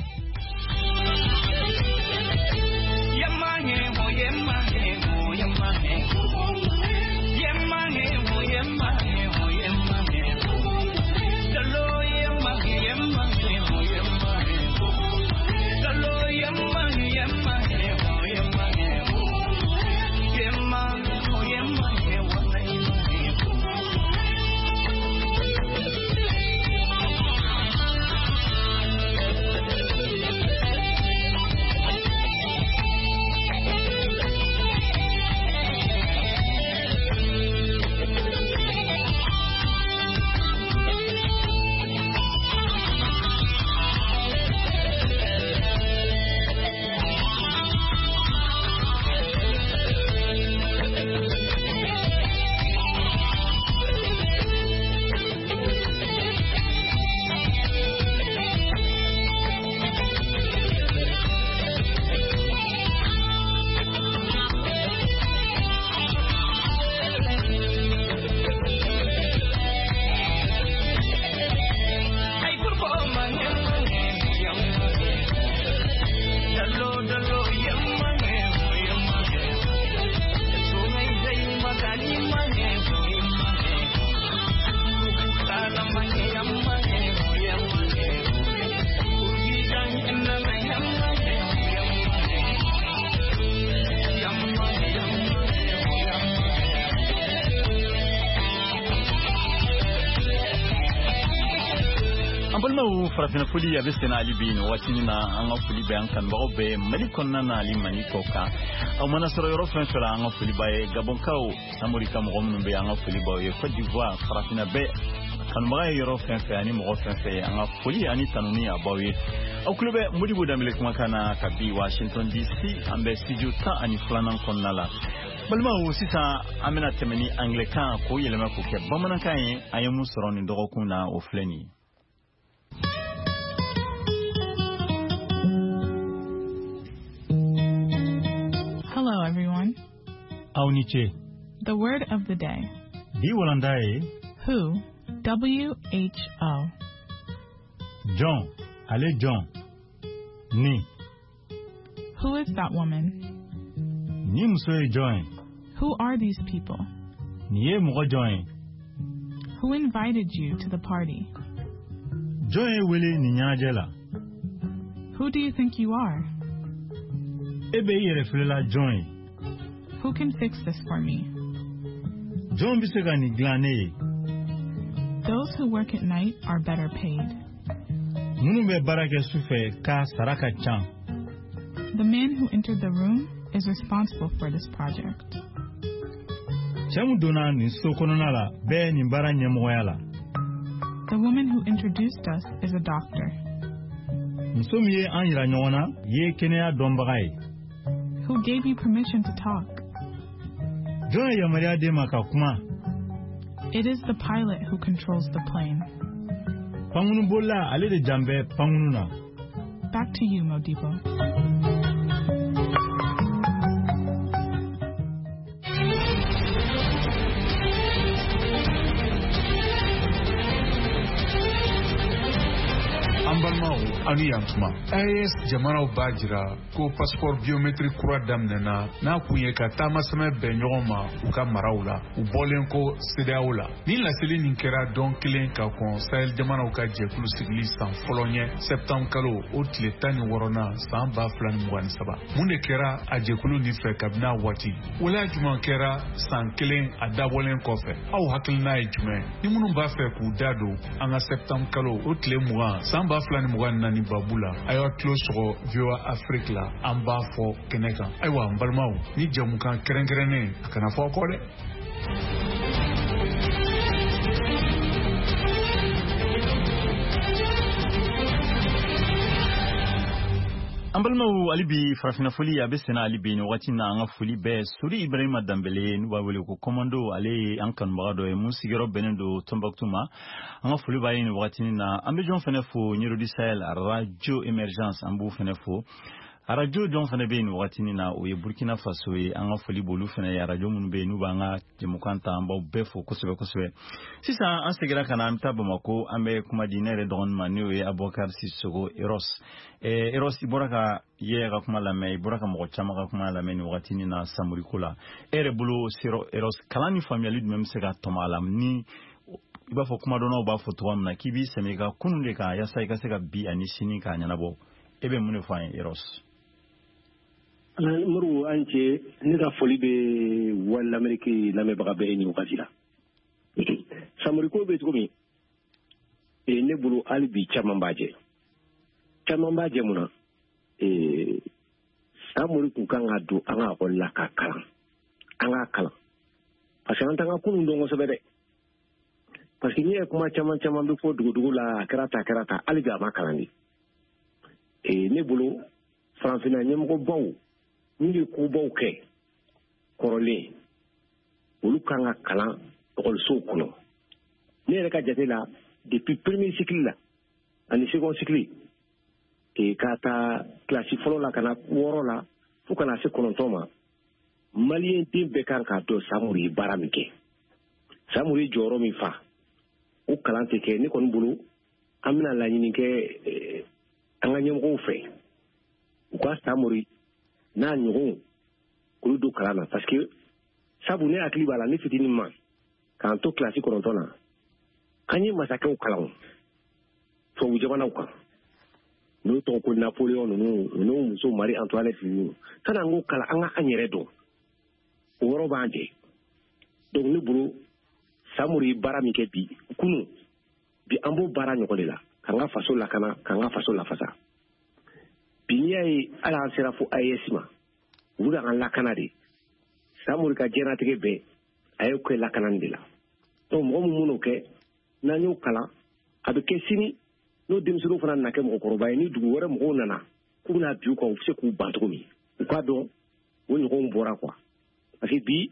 Farafinna foli a bɛ senna hali bi nin waati in na. An ka foli bɛ an kanubagaw bɛɛ Mali kɔnɔna na ani Mali kɔ kan. Aw mana sɔrɔ yɔrɔ fɛn fɛn la, an ka foli b'a ye. Gabɔnkaw, Samori ka mɔgɔ minnu bɛ yen, an ka foli b'aw ye. Côte d'Ivoire, farafinna bɛɛ kanubaga ye yɔrɔ fɛn fɛn ani mɔgɔ fɛn fɛn ye, an ka foli ani tanuni a b'aw ye. Aw tulo bɛ Modibo Danbele kumakan na ka bi Washington DC, an bɛ studio 12nan kɔnɔna la. Balimaw, sisan an bɛna tɛmɛ ni anglais kan k'o yɛlɛma k'o kɛ bamanankan ye. An ye mun sɔrɔ nin dɔgɔkun na, o filɛ nin ye. Hello, everyone. Aw ni ce. The word of the day. Bi walanda ye. Who, W-H-O. Jɔn, ale jɔn. Ni. Who is that woman? Ni muso ye jɔn ye. Who are these people? Nin ye mɔgɔ jɔn ye. Who invited you to the party? Jɔn ye wele nin ɲɛnajɛ la. Who do you think you are? E bɛ i yɛrɛ filɛla jɔn ye. Who can fix this for me? Jɔn bɛ se ka nin dilan ne ye. Those who work at night are better paid. Minnu bɛ baara kɛ su fɛ ka sara ka ca. The man who entered the room is responsible for this project. Cɛ min donna nin so kɔnɔna la bɛɛ nin baara ɲɛmɔgɔya la. The woman who introduced us is a doctor. Muso min ye an yira ɲɔgɔn na ye kɛnɛya dɔnbaga ye. Who gave you permission to talk? Jɔn ye yamaruya d'e ma ka kuma? It is the pilot who controls the plane. Pankurunbolila ale de jan bɛ pankurun na. Back to you, Modibo. An balimaw, aw ni yantuma. AES jamanaw b'a jira ko passeport biométrique kura daminɛna n'a kun ye ka taamasɛmɛ bɛn ɲɔgɔn ma u ka maraw la, u bɔlen ko CEDEAO la. Nin laseli nin kɛra dɔn kelen ka kɔn Sahel jamanaw ka jɛkulu sigili san fɔlɔ ɲɛ septembre kalo o tile 16nan san 2023. Mun de kɛra a jɛkulu nin fɛ kabini a waati? Waleya jumɛn kɛra san kelen a dabɔlen kɔfɛ? Aw hakilina ye jumɛn? Ni minnu b'a fɛ k'u da don an ka septembre kalo o tile 20 san 2024 babu la, a y'aw tulo sɔgɔ VOA Afrique la, an b'a fɔ kɛnɛ kan. Ayiwa n balimaw, ni jɛmukan kɛrɛnkɛrɛnnen a kana fɔ aw kɔ dɛ. An balimaw, hali bi farafinna foli a bɛ senna hali bi nin wagati na. An ka foli bɛɛ Sori Ibrahima Danbele, n'u b'a wele ko Commando, ale ye an kanubaga dɔ ye mun sigiyɔrɔ bɛnnen don Tombouctou ma. An ka foli b'a ye nin wagati na. An bɛ jɔn fɛnɛ fo? Ɲɛrodi Sahel Radio Emergence, an b'u fɛnɛ fo. Arajo jɔn fɛnɛ bɛ yen nin wagati na? O ye Burkina Faso ye. An ka foli b'olu fɛnɛ ye. Arajo minnu bɛ yen n'u b'an ka jɛmukan ta, an b'aw bɛɛ fo kosɛbɛ kosɛbɛ. Sisan an seginna ka na, an bɛ taa Bamako, an bɛ kuma di ne yɛrɛ dɔgɔnin ma, n'o ye Abubakar Sissoco Eros. Eros, i bɔra ka Yaya ka kuma lamɛn, i bɔra ka mɔgɔ caman ka kuma lamɛn nin wagati na Samori ko la. E yɛrɛ bolo, Eros, kalan ni faamuyali jumɛn bɛ se ka tɔmɔ a la, ni i b'a fɔ kumadɔnnaw b'a fɔ cogoya min na k'i b'i sɛmɛ i ka kunun de kan yaasa i ka se ka bi ani sini k'a ɲɛnabɔ? E bɛ mun de fɔ an ye, Eros? Moribo, an cɛ. Ne ka foli bɛ Voix l'Amérique lamɛnbaga bɛɛ ye nin wagati la. Samori ko bɛ cogo min, ne bolo hali bi caman b'a jɛ, caman b'a jɛ. Mun na? Samori kun kan ka don an ka ekɔli la ka kalan, an k'a kalan, parce que an t'an ka kunun dɔn kosɛbɛ dɛ. Parce que n'i ye kuma caman caman bɛ fɔ dugudugu la, a kɛra tan, a kɛra tan, hali bi a ma kalan de. Ne bolo, farafinna ɲɛmɔgɔbaw n'u ye kobaw kɛ kɔrɔlen, olu kan ka kalan ekɔlisow kɔnɔ. Ne yɛrɛ ka jate la, depuis premier cycle la ani second cycle, k'a ta kilasi fɔlɔ la ka na 6 la fo ka na se 9 ma, maliyɛn den bɛɛ kan k'a dɔn Samori ye baara min kɛ, Samori ye jɔyɔrɔ min fa. O kalan tɛ kɛ. Ne kɔni bolo, an bɛna laɲini kɛ an ka ɲɛmɔgɔw fɛ, u ka Samori n'a ɲɔgɔnw olu don kalan na, parce que sabu ne hakili b'a la, ne fitinin ma k'an to kilasi 9 na, an ye masakɛw kalan tubabu jamanaw kan, n'o tɔgɔ ko Napoléon ninnu, n'o muso Marie Antoinette ninnu. Sanni an k'o kalan, an ka an yɛrɛ dɔn, o yɔrɔ b'an jɛ. Donc ne bolo, Samori ye baara min kɛ bi kunun, bi an b'o baara ɲɔgɔn de la, k'an ka faso lakana, k'an ka faso lafasa. Bi n'i y'a ye hali an sera fo AES ma, u bɛ k'an lakana de. Samori ka diɲɛlatigɛ bɛɛ a y'o kɛ lakanani de la. Donc mɔgɔ min m'o kɛ, n'an y'o kalan, a bɛ kɛ sini n'o denmisɛnninw fana nana kɛ mɔgɔkɔrɔba ye, ni dugu wɛrɛ mɔgɔw nana k'u bɛna bin u kan, u bɛ se k'u ban cogo min, u k'a dɔn o ɲɔgɔnw bɔra quoi. Parce que bi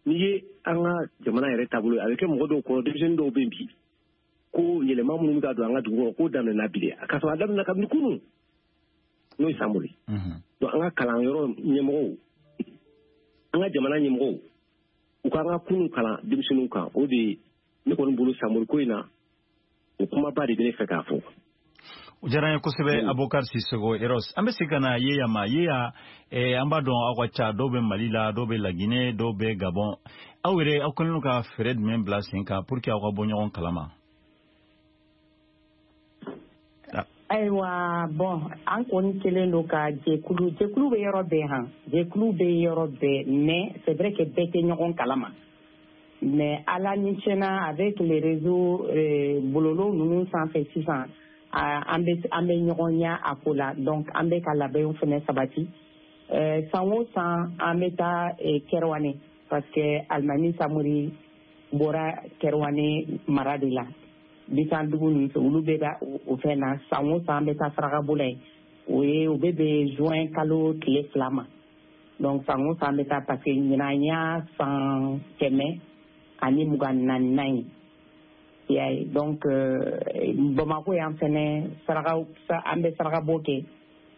n'i ye an ka jamana yɛrɛ taabolo ye, a bɛ kɛ mɔgɔ dɔw kɔnɔ, denmisɛnnin dɔw bɛ yen bi, ko yɛlɛma minnu bɛ ka don an ka dugu kɔnɔ, k'o daminɛna bi de, k'a sɔrɔ a daminɛna kabini kunun, n'o ye Samori. Donc an ka kalanyɔrɔ ɲɛmɔgɔw, an ka jamana ɲɛmɔgɔw, u k'an ka kunun kalan denmisɛnninw kan. O de ye ne kɔni bolo Samori ko in na, o kumaba de bɛ ne fɛ k'a fɔ. O diyara n ye kosɛbɛ, Abubakar Sissoco Eros. An bɛ segin ka na Yeya ma. Yeya, an b'a dɔn aw ka ca, dɔw bɛ Mali la, dɔw bɛ Laginɛ, dɔw bɛ Gabon. Aw yɛrɛ, aw kɛlen don ka fɛɛrɛ jumɛn bila sen kan pour que aw ka bɔ ɲɔgɔn kalama? Ayiwa, bon, an kɔni kɛlen don ka jɛkulu bɛ yɔrɔ bɛɛ han, jɛkulu bɛ yɔrɔ bɛɛ, mais c'est vrai que bɛɛ tɛ ɲɔgɔn kalama. Mais ala ni tiɲɛna, avec les réseaux bɔlɔlɔ ninnu sanfɛ sisan, an bɛ ɲɔgɔn ɲɛ a ko la. Donc an bɛ ka labɛnw fɛnɛ sabati. San o san an bɛ taa Kɛrɛwane, parce que Alimami Samori bɔra Kɛrɛwane mara de la, bisan dugu ninnu fɛ, olu bɛ ka o fɛn na. San o san an bɛ taa saraka bɔ la yen, o ye o bɛ bɛn juin kalo tile 2 ma. Donc san o san bɛ taa, parce que ɲinan y'a san 124nan ye. I y'a ye, donc Bamako yan fɛnɛ, saraka, an bɛ saraka bɔ kɛ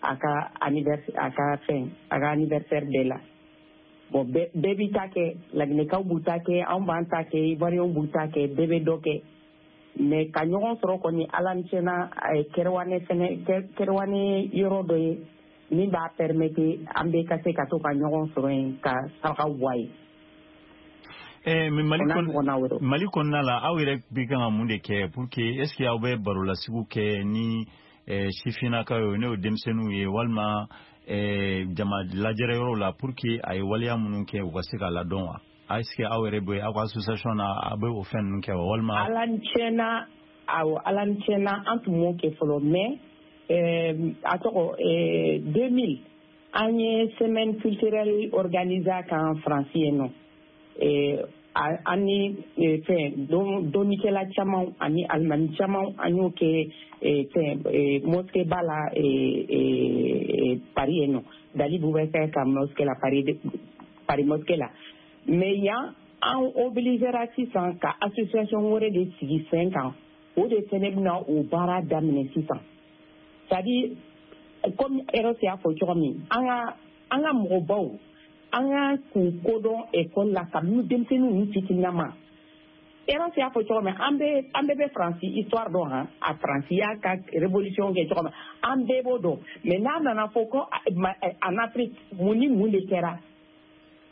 a ka anniversaire, a ka fɛn, a ka anniversaire bɛɛ la. Bon, bɛɛ b'i ta kɛ, Laginɛkaw b'u ta kɛ, anw b'an ta kɛ, Ivoiriyɛnw b'u ta kɛ, bɛɛ bɛ dɔ kɛ. Mais ka ɲɔgɔn sɔrɔ kɔni, Ala ni tiɲɛna, Kɛrɛwane fɛnɛ, Kɛrɛwane yɔrɔ dɔ ye min b'a permettre an bɛɛ ka se ka to ka ɲɔgɔn sɔrɔ yen ka sarakaw bɔ a ye. Mais Mali kɔnɔna la, aw yɛrɛ bɛ kan ka mun de kɛ pour que, est ce que aw bɛ barolasigiw kɛ ni sifinnakaw ye, n'o ye denmisɛnninw ye, walima jama lajɛrɛ yɔrɔw la, pour que a ye waleya minnu kɛ, u ka se k'a ladɔn wa? Est ce que aw yɛrɛ bɛ aw ka association na, aw bɛ o fɛn ninnu kɛ wa, walima? Ala ni tiɲɛna, awɔ, Ala ni tiɲɛna, an tun m'o kɛ fɔlɔ, mais a tɔgɔ 2000, an ye semaine culturelle organisée kan Faransi yen nɔ. An ni fɛn dɔnnikɛla caman ani alimami caman, an y'o kɛ fɛn mosquée ba la Paris yen nɔ, Dali Boubacar ka mosquée la, Paris mosquée la. Mais yan, an obligera sisan ka association wɛrɛ de sigi sen kan, o de fɛnɛ bɛna o baara daminɛ sisan. C'est à dire, comme Eros y'a fɔ cogo min, an ka mɔgɔbaw, an ka k'u kodɔn école la kabini denmisɛnninw ni fitininama. Eros y'a fɔ cogo min, an bɛɛ bɛ Faransi histoire dɔn han, a Faransi y'a ka révolution kɛ cogo min, an bɛɛ b'o dɔn. Mais n'a nana fɔ ko en Afrique, mun ni mun de kɛra,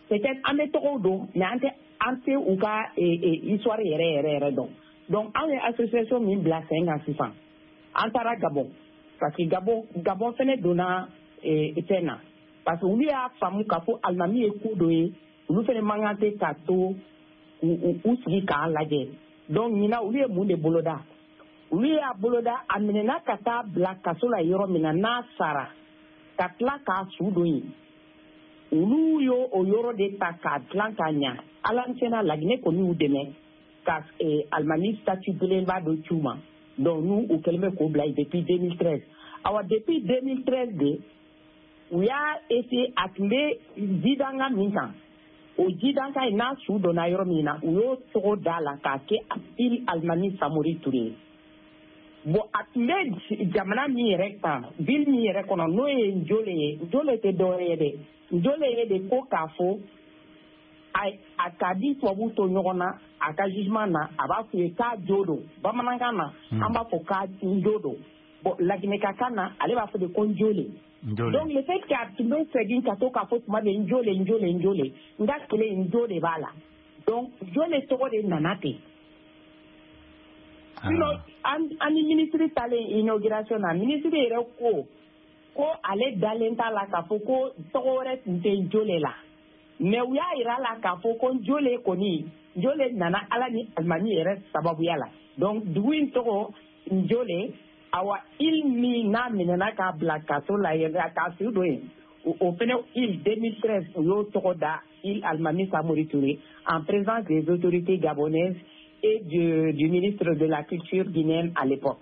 peut-être an bɛ tɔgɔw dɔn, mais an tɛ u ka histoire yɛrɛ yɛrɛ yɛrɛ dɔn. Donc anw ye association min bila sen kan sisan, an taara Gabon, parce que Gabon fɛnɛ donna fɛn na, parce que olu y'a faamu k'a fɔ alimami ye ko dɔ ye, olu fɛnɛ man kan tɛ k'a to u sigi k'a lajɛ. Donc ɲinan, olu ye mun de boloda? Olu y'a boloda, a minɛna ka taa bila kaso la yɔrɔ min na, n'a sara ka tila k'a su don yen, olu y'o o yɔrɔ de ta k'a dilan k'a ɲa. Ala ni tiɲɛna, Laginɛ kɔni y'u dɛmɛ ka alimami statut belebeleba dɔ ci u ma. Donc n'u u kɛlen bɛ k'o bila yen depuis 2013. Awa, depuis 2013 de u y'a essayé, a tun bɛ jidanga min kan, o jidanga in n'a su donna yɔrɔ min na, u y'o tɔgɔ d'a la k'a kɛ île Alimami Samori Ture ye. Bon, a tun bɛ jamana min yɛrɛ kan, ville min yɛrɛ kɔnɔ, n'o ye Njole ye. Njole tɛ dɔwɛrɛ ye dɛ, Njole ye de ko k'a fɔ a k'a di tubabuw to ɲɔgɔn na, a ka jugement na, a b'a f'u ye k'a jo don. Bamanankan na, an b'a fɔ k'a njo don. Bon, laginɛkakan na, ale b'a fɔ de ko Njole. Donc le fait que a tun bɛ segin ka to k'a fɔ tuma bɛɛ Njole, Njole, Njole, n ka kelen njo de b'a la. Donc Njole tɔgɔ de nana ten. Sinon, an ni ministre talen inauguration na, ministre yɛrɛ ko ko ale dalen t'a la k'a fɔ ko tɔgɔ wɛrɛ tun tɛ Njole la. Mais u y'a yira la k'a fɔ ko Njole kɔni, Njole nana Ala ni alimami yɛrɛ sababuya la. Donc dugu in tɔgɔ Njole. Awa, île min n'a minɛna k'a bila kaso la yen, k'a su don yen, o fɛnɛ île, 2013 u y'o tɔgɔ da île Alimami Samori Touré, en présence des autorités gabonaises et du ministre de la culture guinéenne à l'époque.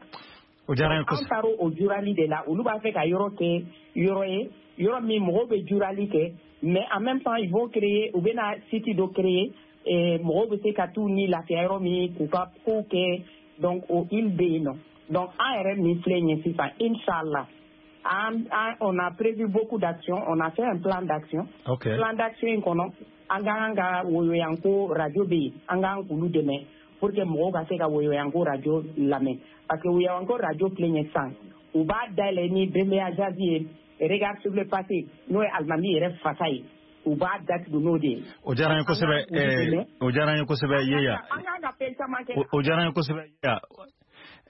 O diyara n ye. An Kosɛbɛ. Taara o jurali de la. Olu b'a fɛ ka yɔrɔ kɛ yɔrɔ ye, yɔrɔ min mɔgɔw bɛ jurali kɛ, mais en même temps ils vont créer, u bɛna site dɔ créer, mɔgɔw bɛ se ka t'u ni lafiya yɔrɔ min, k'u ka kow kɛ. Donc o île bɛ yen nɔ. Donc an yɛrɛ min filɛ nin ye sisan, inchallah, on a prévu beaucoup d'actions, on a fait un plan d'action. Plan d'action in kɔnɔ, an ka kan ka Woyoyanko radio bɛ yen, an k'an k'olu dɛmɛ pour que mɔgɔw ka se ka Woyoyanko radio lamɛn, parce que Woyoyanko radio filɛ nin ye sisan, u b'a dayɛlɛ ni Bembeya Jazz ye, Regard sur le passé, n'o ye alimami yɛrɛ fasa ye, u b'a datugu n'o de ye. O diyara n ye kosɛbɛ. An k'an k'olu dɛmɛ. O diyara n ye kosɛbɛ, Yeya. An k'an ka fɛn caman kɛ. O diyara n ye kosɛbɛ, Yeya.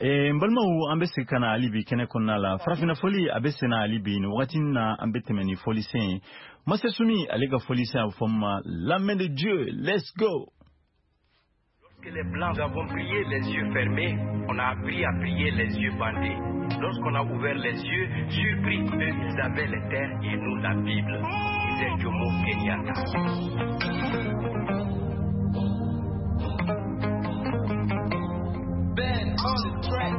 N balimaw, an bɛ segin ka na hali bi kɛnɛ kɔnɔna la. Farafinna fɔli a bɛ senna hali bi. Nin wagati in na, an bɛ tɛmɛ ni fɔlisen ye. Masa Sumi ale ka fɔlisen, a bɛ fɔ min ma La main de Dieu. Let's go. Lorsque les Blancs avons prié les yeux fermés, on a appris à prier les yeux bandés. Lorsqu'on a ouvert les yeux, surpris, eux, ils avaient les terres et nous la Bible. Disait Jomo Kenyatta. Ben on the track.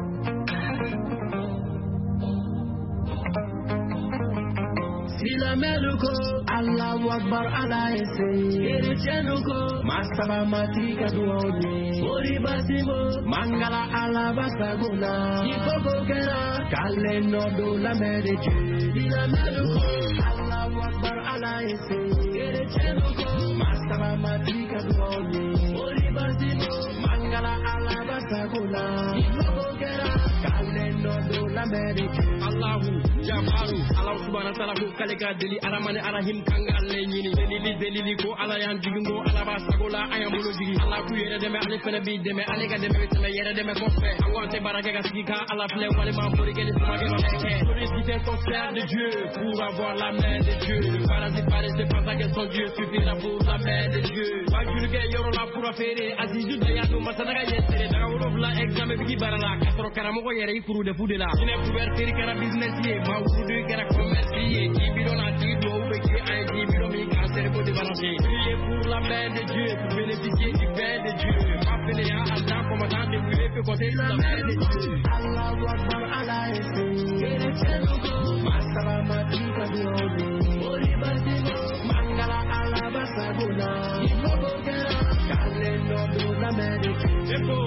Silamɛlu ko Allahu Akbar Ala ye se. Kerecɛnnu ko Masaba matigi ka duwaw ye. Moriba Simo Mangala Ala basago la. Ni koko kɛra k'ale nɔ don la main de Dieu. Silamɛlu ko Allahu Akbar Ala ye se. Kerecɛnnu ko Masaba matigi ka duwaw ye. Moriba Simo Mangala Ala basago la. Ni koko kɛra k'ale nɔ don la main de Dieu. Allahu Jabaru Ala subhanahu wa ta'ala ko k'ale ka deli Aramani Arahim kan k'ale ɲini delili delili ko Ala y'an jigin ko Ala b'a sago la an y'an bolo jigin Ala k'u yɛrɛ dɛmɛ ale fɛnɛ b'i dɛmɛ ale ka dɛmɛ bɛ tɛmɛ yɛrɛ dɛmɛ kɔfɛ an ko an tɛ baara kɛ ka sigi ka Ala filɛ walima mori kɛ ni kumakɛ ma kɛ. Solliciter ton frère de Dieu pour avoir la main de Dieu. Le parasite paresseux pense à que son Dieu suffira pour la main de Dieu. Wajulikɛ yɔrɔ la fura feere Azizu Dayanu Masadaga ye seere daga 7 examen bigi baara la k'a sɔrɔ karamɔgɔ yɛrɛ i kuru de fu de la. Jinɛ couverture kɛra business ye maa wurudu kɛra commerce ye k'i bidon n'a tigi duwawu bɛ kɛ an ye k'i bidon min cancer ko débalancé. Priez pour la main de Dieu pour bénéficier du pain de Dieu. Pas fainéant Allah combattant débrouillé peut compter sur la main de Dieu. Allahu Akbar Ala ye se. Kerecɛnnu ko Masaba matigi ka duwaw ye. Moriba Simo Mangala Ala basago la. Ni koko kɛra k'ale nɔ don la main de Dieu. Eko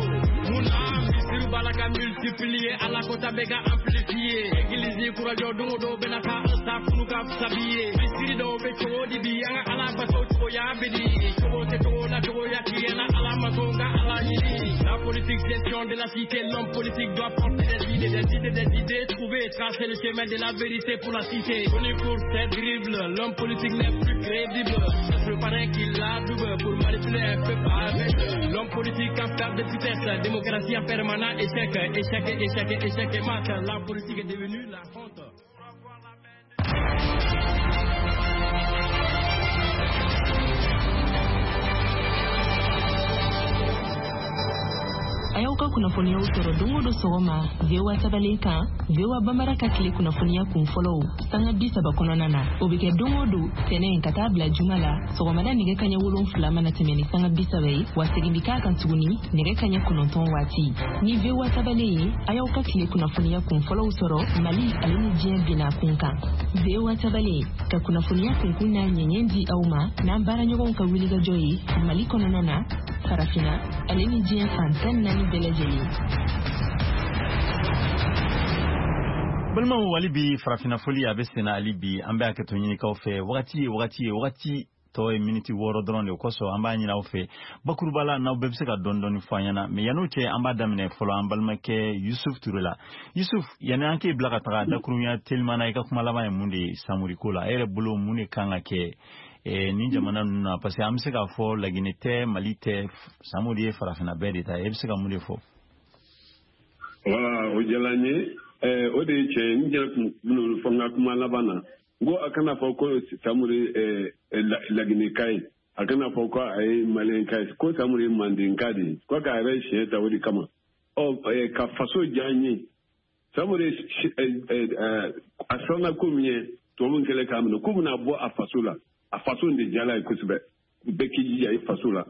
munna misiriw b'a la ka multiplier Ala kota bɛ ka amplifier. Église kura jɔ don o don bɛna taa an ta kunu ka fisa bi ye. Misiri dɔw bɛ cogo di bi an ka Ala bato cogoya bɛ di. Cogo tɛ cogo la cogoya tiɲɛ na Ala ma sɔn ka Ala ɲini. La politique gestion de la cité, l'homme politique doit porter des idées, des idées, des idées, trouver, tracer le chemin de la vérité pour la cité. Connu pour ses dribbles, l'homme politique n'est plus crédible. C'est le parrain qui l'adoube pour manipuler un peuple avec. L'homme politique en perte de vitesse, démocratie en permanent échec, échec, échec, échec et mat. La politique est devenue la honte. A y'aw ka kunnafoniyaw sɔrɔ don o don sɔgɔma VOA tabalen kan, VOA Bambara ka tile kunnafoniya kun fɔlɔw sanga 30 kɔnɔna na. O bɛ kɛ don o don tɛnɛn ka taa bila juma la sɔgɔmada nɛgɛ kaɲɛ 7 mana tɛmɛ ni sanga 30 ye, wa segin bɛ k'a kan tuguni nɛgɛ kaɲɛ 9 waati. Ni VOA tabalen ye, a y'aw ka tile kunnafoniya kun fɔlɔw sɔrɔ Mali ale ni diɲɛ binna kun kan. VOA tabalen ka kunnafoniya kunkun n'a ɲɛɲɛ di aw ma n'an baaraɲɔgɔnw ka wulikajɔ ye Mali kɔnɔna na, Farafinna ale ni diɲɛ fan 14 bɛɛ lajɛlen. Balimaw, hali bi farafinna foli a bɛ senna hali bi an bɛ hakɛto ɲinikaw fɛ wagati ye wagati ye wagati tɔ ye miniti 6 dɔrɔn de kosɔn an b'a ɲini aw fɛ bakuruba la n'aw bɛɛ bɛ se ka dɔɔni dɔɔni fɔ an ɲɛna mɛ yan'o cɛ an b'a daminɛ fɔlɔ an balimakɛ Yusuf Ture la. Yusuf, yanni an k'e bila ka taga dakurunya teliman na, i ka kuma laban ye mun de ye Samori ko la? E yɛrɛ bolo mun de kan ka kɛ ni jamana ninnu na? Parce que an bɛ se k'a fɔ Laginɛ tɛ, Mali tɛ, Samori ye farafinna bɛɛ de ta ye. E bɛ se ka mun de fɔ? Voilà, o diyara n ye. O de ye tiɲɛ ye. N yɛrɛ tun bɛn'o fɔ n ka kuma laban na. N ko a kana fɔ ko Samori Laginɛka ye, a kana fɔ ko a ye Maliyɛnka ye, ko Samori ye Mandenka de ye, ko k'a yɛrɛ siɲɛ ta o de kama. Ɔ ka faso diya n ye. Samori a siranna ko min ye, tubabu kɛlen k'a minɛ, k'u bɛna bɔ a faso la. A faso de diyala ye kosɛbɛ. Bɛɛ k'i jija i faso la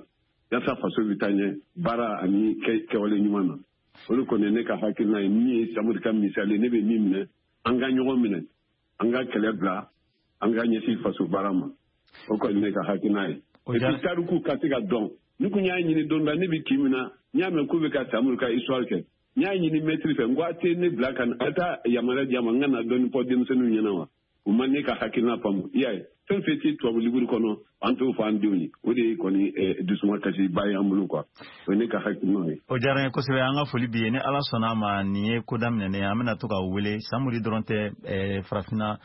yaasa faso bɛ taa ɲɛ baara ani kɛwale ɲuman na. O de kɔni ne ka hakilina ye min ye Samori ka misali, ne bɛ min minɛ, an ka ɲɔgɔn minɛ, an ka kɛlɛ bila, an ka ɲɛsin faso baara ma. O kɔni ne ka hakilina ye. Et puis tariku ka se ka dɔn. Ni kun y'a ɲini don dɔ la, ne bɛ kin min na, n y'a mɛn k'u bɛ ka Samori ka histoire kɛ. N y'a ɲini maître fɛ, n ko a tɛ ne bila ka na, a t'a yamaruya di a ma, n ka na dɔɔni fɔ denmisɛnninw ɲɛna wa? U ma ne ka hakilina faamu. I y'a ye, fɛn fɛn tɛ tubabu liburu kɔnɔ, an t'o fɔ an denw ye. O de ye kɔni dusuma kasiba ye an bolo quoi. O ye ne ka hakilina ye. O diyara n ye kosɛbɛ. An ka foli b'i ye. Ni Ala sɔnna a ma, nin ye ko daminɛnen ye. An bɛna to ka wele. Samori dɔrɔn tɛ, farafinna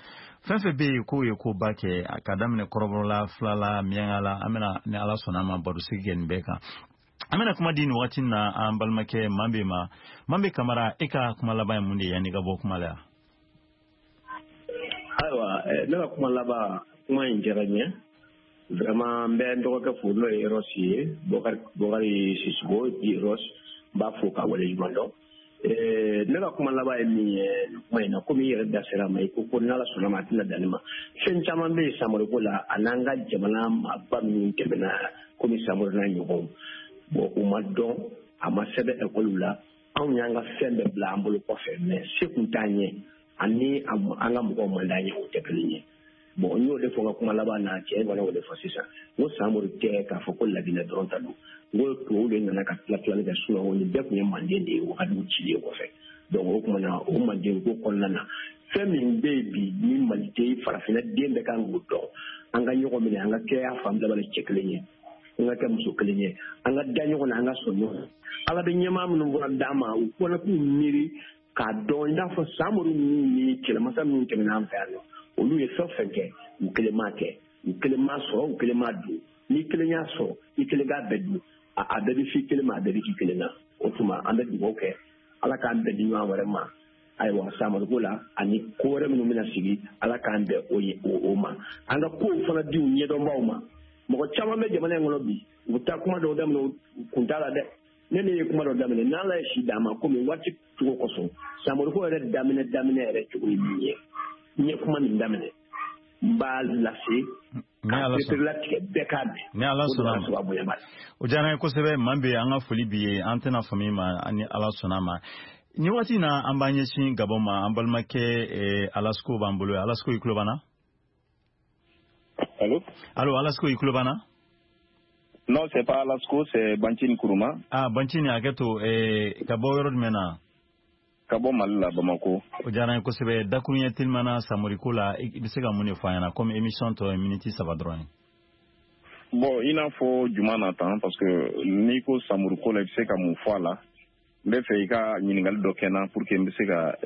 fɛn fɛn bɛ yen k'o ye koba kɛ, ka daminɛ kɔrɔbɔrɔ la, fila la, miɲanka la, an bɛna ni Ala sɔnna a ma barosigi kɛ nin bɛɛ kan. An bɛna kuma di nin waati na an balimakɛ Manbe ma. Manbe Kamara, e ka kuma laban ye mun de ye yanni i ka bɔ kuma la yan? Ayiwa, ne ka kuma laban, kuma in diyara n ye vraiment. N bɛ n dɔgɔkɛ fo n'o ye Eros ye, Bokari Sisoko di Eros, n b'a fo k'a waleɲuman dɔn. Ne ka kuma laban ye min ye kuma in na, komi i yɛrɛ da sera a ma, i ko ko n'Ala sɔnna ma a tɛna dan ne ma. Fɛn caman bɛ yen Samori ko la, a n'an ka jamana maaba minnu tɛmɛna komi Samori n'a ɲɔgɔnw, bon u ma dɔn, a ma sɛbɛn ekɔliw la. Anw y'an ka fɛn bɛɛ bila an bolo kɔfɛ, mais se kun t'an ye ani an ka mɔgɔw man d'an ye, o tɛ kelen ye. Bon, n y'o de fɔ n ka kuma laban na, cɛ fana y'o de fɔ sisan. N ko Samori tɛ k'a fɔ ko Laginɛ dɔrɔn ta don. N ko tubabuw de nana ka tila tilali kɛ, sinon nin bɛɛ tun ye manden de ye wagatiw cilen kɔfɛ. Donc o tuma na, o manden ko kɔnɔna na, fɛn min bɛ yen bi ni maliden farafinna den bɛɛ kan k'o dɔn, an ka ɲɔgɔn minɛ, an ka kɛ a fan bɛɛ cɛ kelen ye, an ka kɛ muso kelen ye, an ka da ɲɔgɔn na, an ka sɔn ɲɔgɔn na. Ala bɛ ɲɛmaa minnu fana d'an ma, u fana k'u miiri k'a dɔn i n'a fɔ Samori ninnu ni kɛlɛmasa minnu tɛmɛna an fɛ yan nɔ, olu ye fɛn fɛn kɛ, u kelen m'a kɛ, u kelen m'a sɔrɔ, u kelen m'a dun. N'i kelen y'a sɔrɔ, i kelen k'a bɛɛ dun, a bɛɛ bɛ f'i kelen ma, a bɛɛ bɛ k'i kelen na. O tuma an bɛ dugawu kɛ Ala k'an bɛn di ɲɔgɔn wɛrɛ ma. Ayiwa, Samori ko la ani ko wɛrɛ minnu bɛna sigi, Ala k'an bɛn o ma. An ka kow fana di u ɲɛdɔnbaw ma. Mɔgɔ caman bɛ jamana in kɔnɔ bi, u bɛ taa kuma dɔw daminɛ, u kun t'a la dɛ. Ne ye kuma dɔ daminɛ, n'Ala ye si d'an ma, komi waati cogo kosɔn, Samori ko yɛrɛ daminɛ yɛrɛ cogo ye min ye, n ye kuma min daminɛ, n b'a lase k'a pereperelatigɛ bɛɛ k'a mɛn. Ni Ala sɔnna ma, o diyara n ye kosɛbɛ. Manbe, an ka foli b'i ye, an tɛna faamu i ma ni Ala sɔnna ma. Nin waati in na, an b'an ɲɛsin Gabon ma. An balimakɛ Alasko b'an bolo. Alasko, i tulo b'an na? Allo? Allo, Alasko, i tulo b'an na? Non, c'est pas Alasko, c'est Banchini Kourouma. Ah, Banchini, hakɛ to, ka bɔ yɔrɔ jumɛn na? Ka bɔ Mali la, Bamako. O diyara n ye kosɛbɛ. Dakuruɲɛ telimana Samori ko la, i bɛ se ka mun de fɔ an ɲɛna, komi émission tɔ ye miniti 3 dɔrɔn ye? Bon, i n'a fɔ juma na tan, parce que n'i ko Samori ko la, i bɛ se ka mun fɔ a la? N bɛ fɛ i ka ɲininkali dɔ kɛ n na pour que n bɛ se ka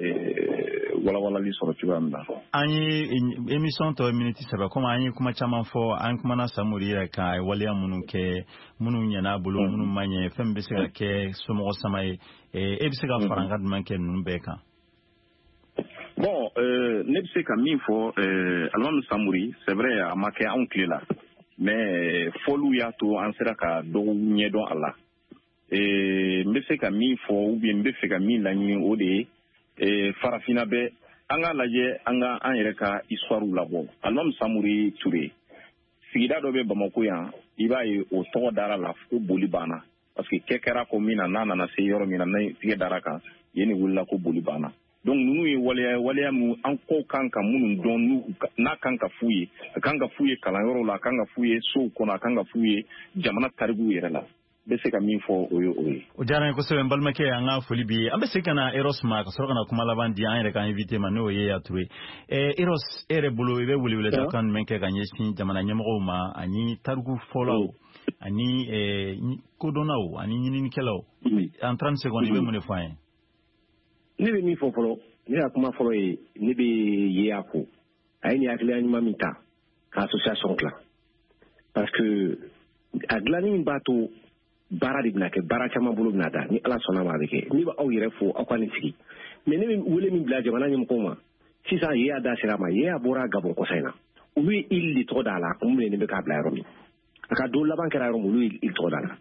walawalali sɔrɔ cogoya min na. An ye émission tɔ ye miniti 3, komi an ye kuma caman fɔ, an kumana Samori yɛrɛ kan, a ye waleya minnu kɛ, minnu ɲɛna a bolo, minnu ma ɲɛ, fɛn min bɛ se ka kɛ somɔgɔ sama ye. E bɛ se ka farankan jumɛn kɛ ninnu bɛɛ kan? Bon, ne bɛ se ka min fɔ, Alimami Samori, c'est vrai, a ma kɛ anw tile la, mais fɔliw y'a to an sera ka dɔw ɲɛdɔn a la. N bɛ se ka min fɔ, ou bien n bɛ fɛ ka min laɲini, o de ye farafinna bɛɛ an k'a lajɛ, an ka an yɛrɛ ka histoire labɔ. Alimami Samori Ture, sigida dɔ bɛ Bamako yan, i b'a ye o tɔgɔ dara la ko boli banna, parce que kɛ kɛra ko min na, n'a nana se yɔrɔ min na, n'a tigɛ dara kan yen, de wulila ko boli banna. Donc ninnu ye waleya minnu an ko kan ka minnu dɔn, n'a kan ka f'u ye, a kan ka f'u ye kalanyɔrɔw la, a kan ka f'u ye sow kɔnɔ, a kan ka f'u ye jamana tarikuw yɛrɛ la. N bɛ se ka min fɔ, o ye o ye. O diyara n ye kosɛbɛ, n balimakɛ, an ka foli b'i ye. An bɛ segin ka na Eros ma, ka sɔrɔ ka na kuma laban di an yɛrɛ ka invité ma, n'o ye Yaya Ture. Eros, e yɛrɛ bolo, i bɛ weleweledakan jumɛn kɛ ka ɲɛsin jamana ɲɛmɔgɔw ma, ani tariku fɔlaw, ani kodɔnnaw, ani ɲininikɛlaw? En 30 secondes, i bɛ mun de fɔ an ye? Ne bɛ min fɔ fɔlɔ, ne ka kuma fɔlɔ ye, ne bɛ Yeya fo. A ye nin hakilina ɲuman min ta ka association dilan, parce que a dilanni min b'a to baara de bɛna kɛ, baara caman bolo bɛna da, ni Ala sɔnna ma a bɛ kɛ. Ne bɛ aw yɛrɛ fo, aw ka nin sigi. Mais ne bɛ wele min bila jamana ɲɛmɔgɔw ma sisan, Yeya da sera a ma, Yeya bɔra Gabon kɔsa in na, olu ye île de tɔgɔ da a la, a kun minɛnen bɛ k'a bila yɔrɔ min, a ka don laban kɛra yɔrɔ min, olu ye île tɔgɔ da a la.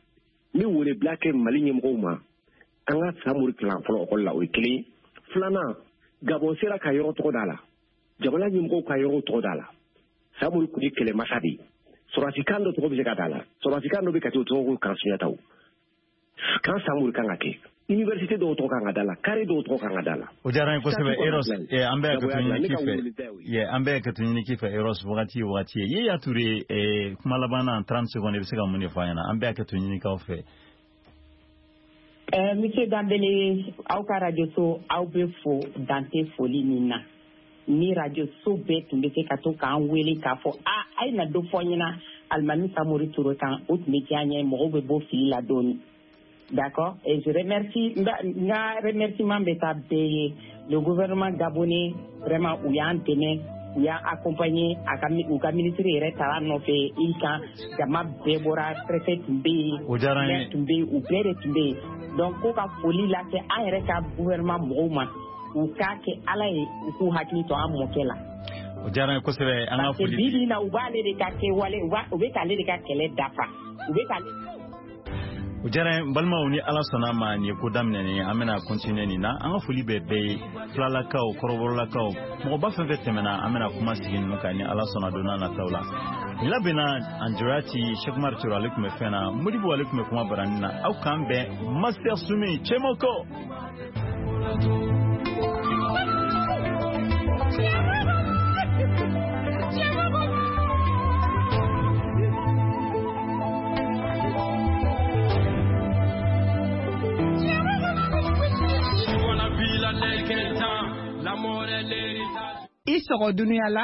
N bɛ wele bila kɛ Mali ɲɛmɔgɔw ma, an ka Samori kalan fɔlɔ ekɔli la, o ye kelen ye. Filanan, Gabon sera ka yɔrɔ tɔgɔ da a la, jamana ɲɛmɔgɔw ka yɔrɔ tɔgɔ da a la. Samori kun ye kɛlɛmasa de ye. Sɔrɔdasikan dɔ tɔgɔ bɛ se ka da a la, sɔrɔdasikan dɔ bɛ Kati, o tɔgɔ ko kan Sunjataw, kan Samori kan ka kɛ, université dɔw tɔgɔ kan ka da la, carré dɔw tɔgɔ kan ka da la. O diyara n ye kosɛbɛ, Eros. An bɛ hakɛto ɲini k'i fɛ, an bɛ hakɛto ɲini k'i fɛ, Eros, wagati ye wagati ye. Yaya Ture, kuma laban na, 30 secondes, i bɛ se ka mun de fɔ an ɲɛna? An bɛ hakɛto ɲini k'aw fɛ. Monsieur Danbele, aw ka radio so, aw bɛ fo dan tɛ foli min na. Ni radio so bɛɛ tun bɛ se ka to k'an wele k'a fɔ a ye na dɔ fɔ n ɲɛna Alimami Samori Ture kan, o tun bɛ diya n ye, mɔgɔw bɛ bɔ fili la dɔɔni. D'accord? Et je remercie, n ka remerciement bɛ taa bɛɛ ye. Le gouvernement gabonais, vraiment, u y'an dɛmɛ, u y'an accompagné, a ka u ka ministre yɛrɛ taara nɔfɛ i kan, jama bɛɛ bɔra, préfet tun bɛ yen, maire tun bɛ yen, u bɛɛ de tun bɛ yen. Donc ko ka foli lase an yɛrɛ ka gouvernement mɔgɔw ma, u k'a kɛ Ala ye, u k'u hakili to an mɔkɛ la. O diyara n ye kosɛbɛ, an ka foli. Parce que bi bi in na, u b'ale de ka kɛwale, u bɛ k'ale de ka kɛlɛ dafa, u bɛ k'ale. O diyara n ye, n balimaw, ni Ala sɔnna ma, nin ye ko daminɛ nin ye, an bɛna continuer nin na. An ka foli bɛ bɛɛ ye, filalakaw, kɔrɔbɔrɔlakaw, mɔgɔba fɛn fɛn tɛmɛna, an bɛna kuma sigi ninnu kan ni Ala sɔnna don n'a nataw la. Nin labɛnna en direct, Cheikh Umar Toro ale tun bɛ fɛn na, Modibo ale tun bɛ kuma baranin na. Aw k'an bɛn, Master Sumi Cɛmɔkɔ. I sɔgɔ dunuya la.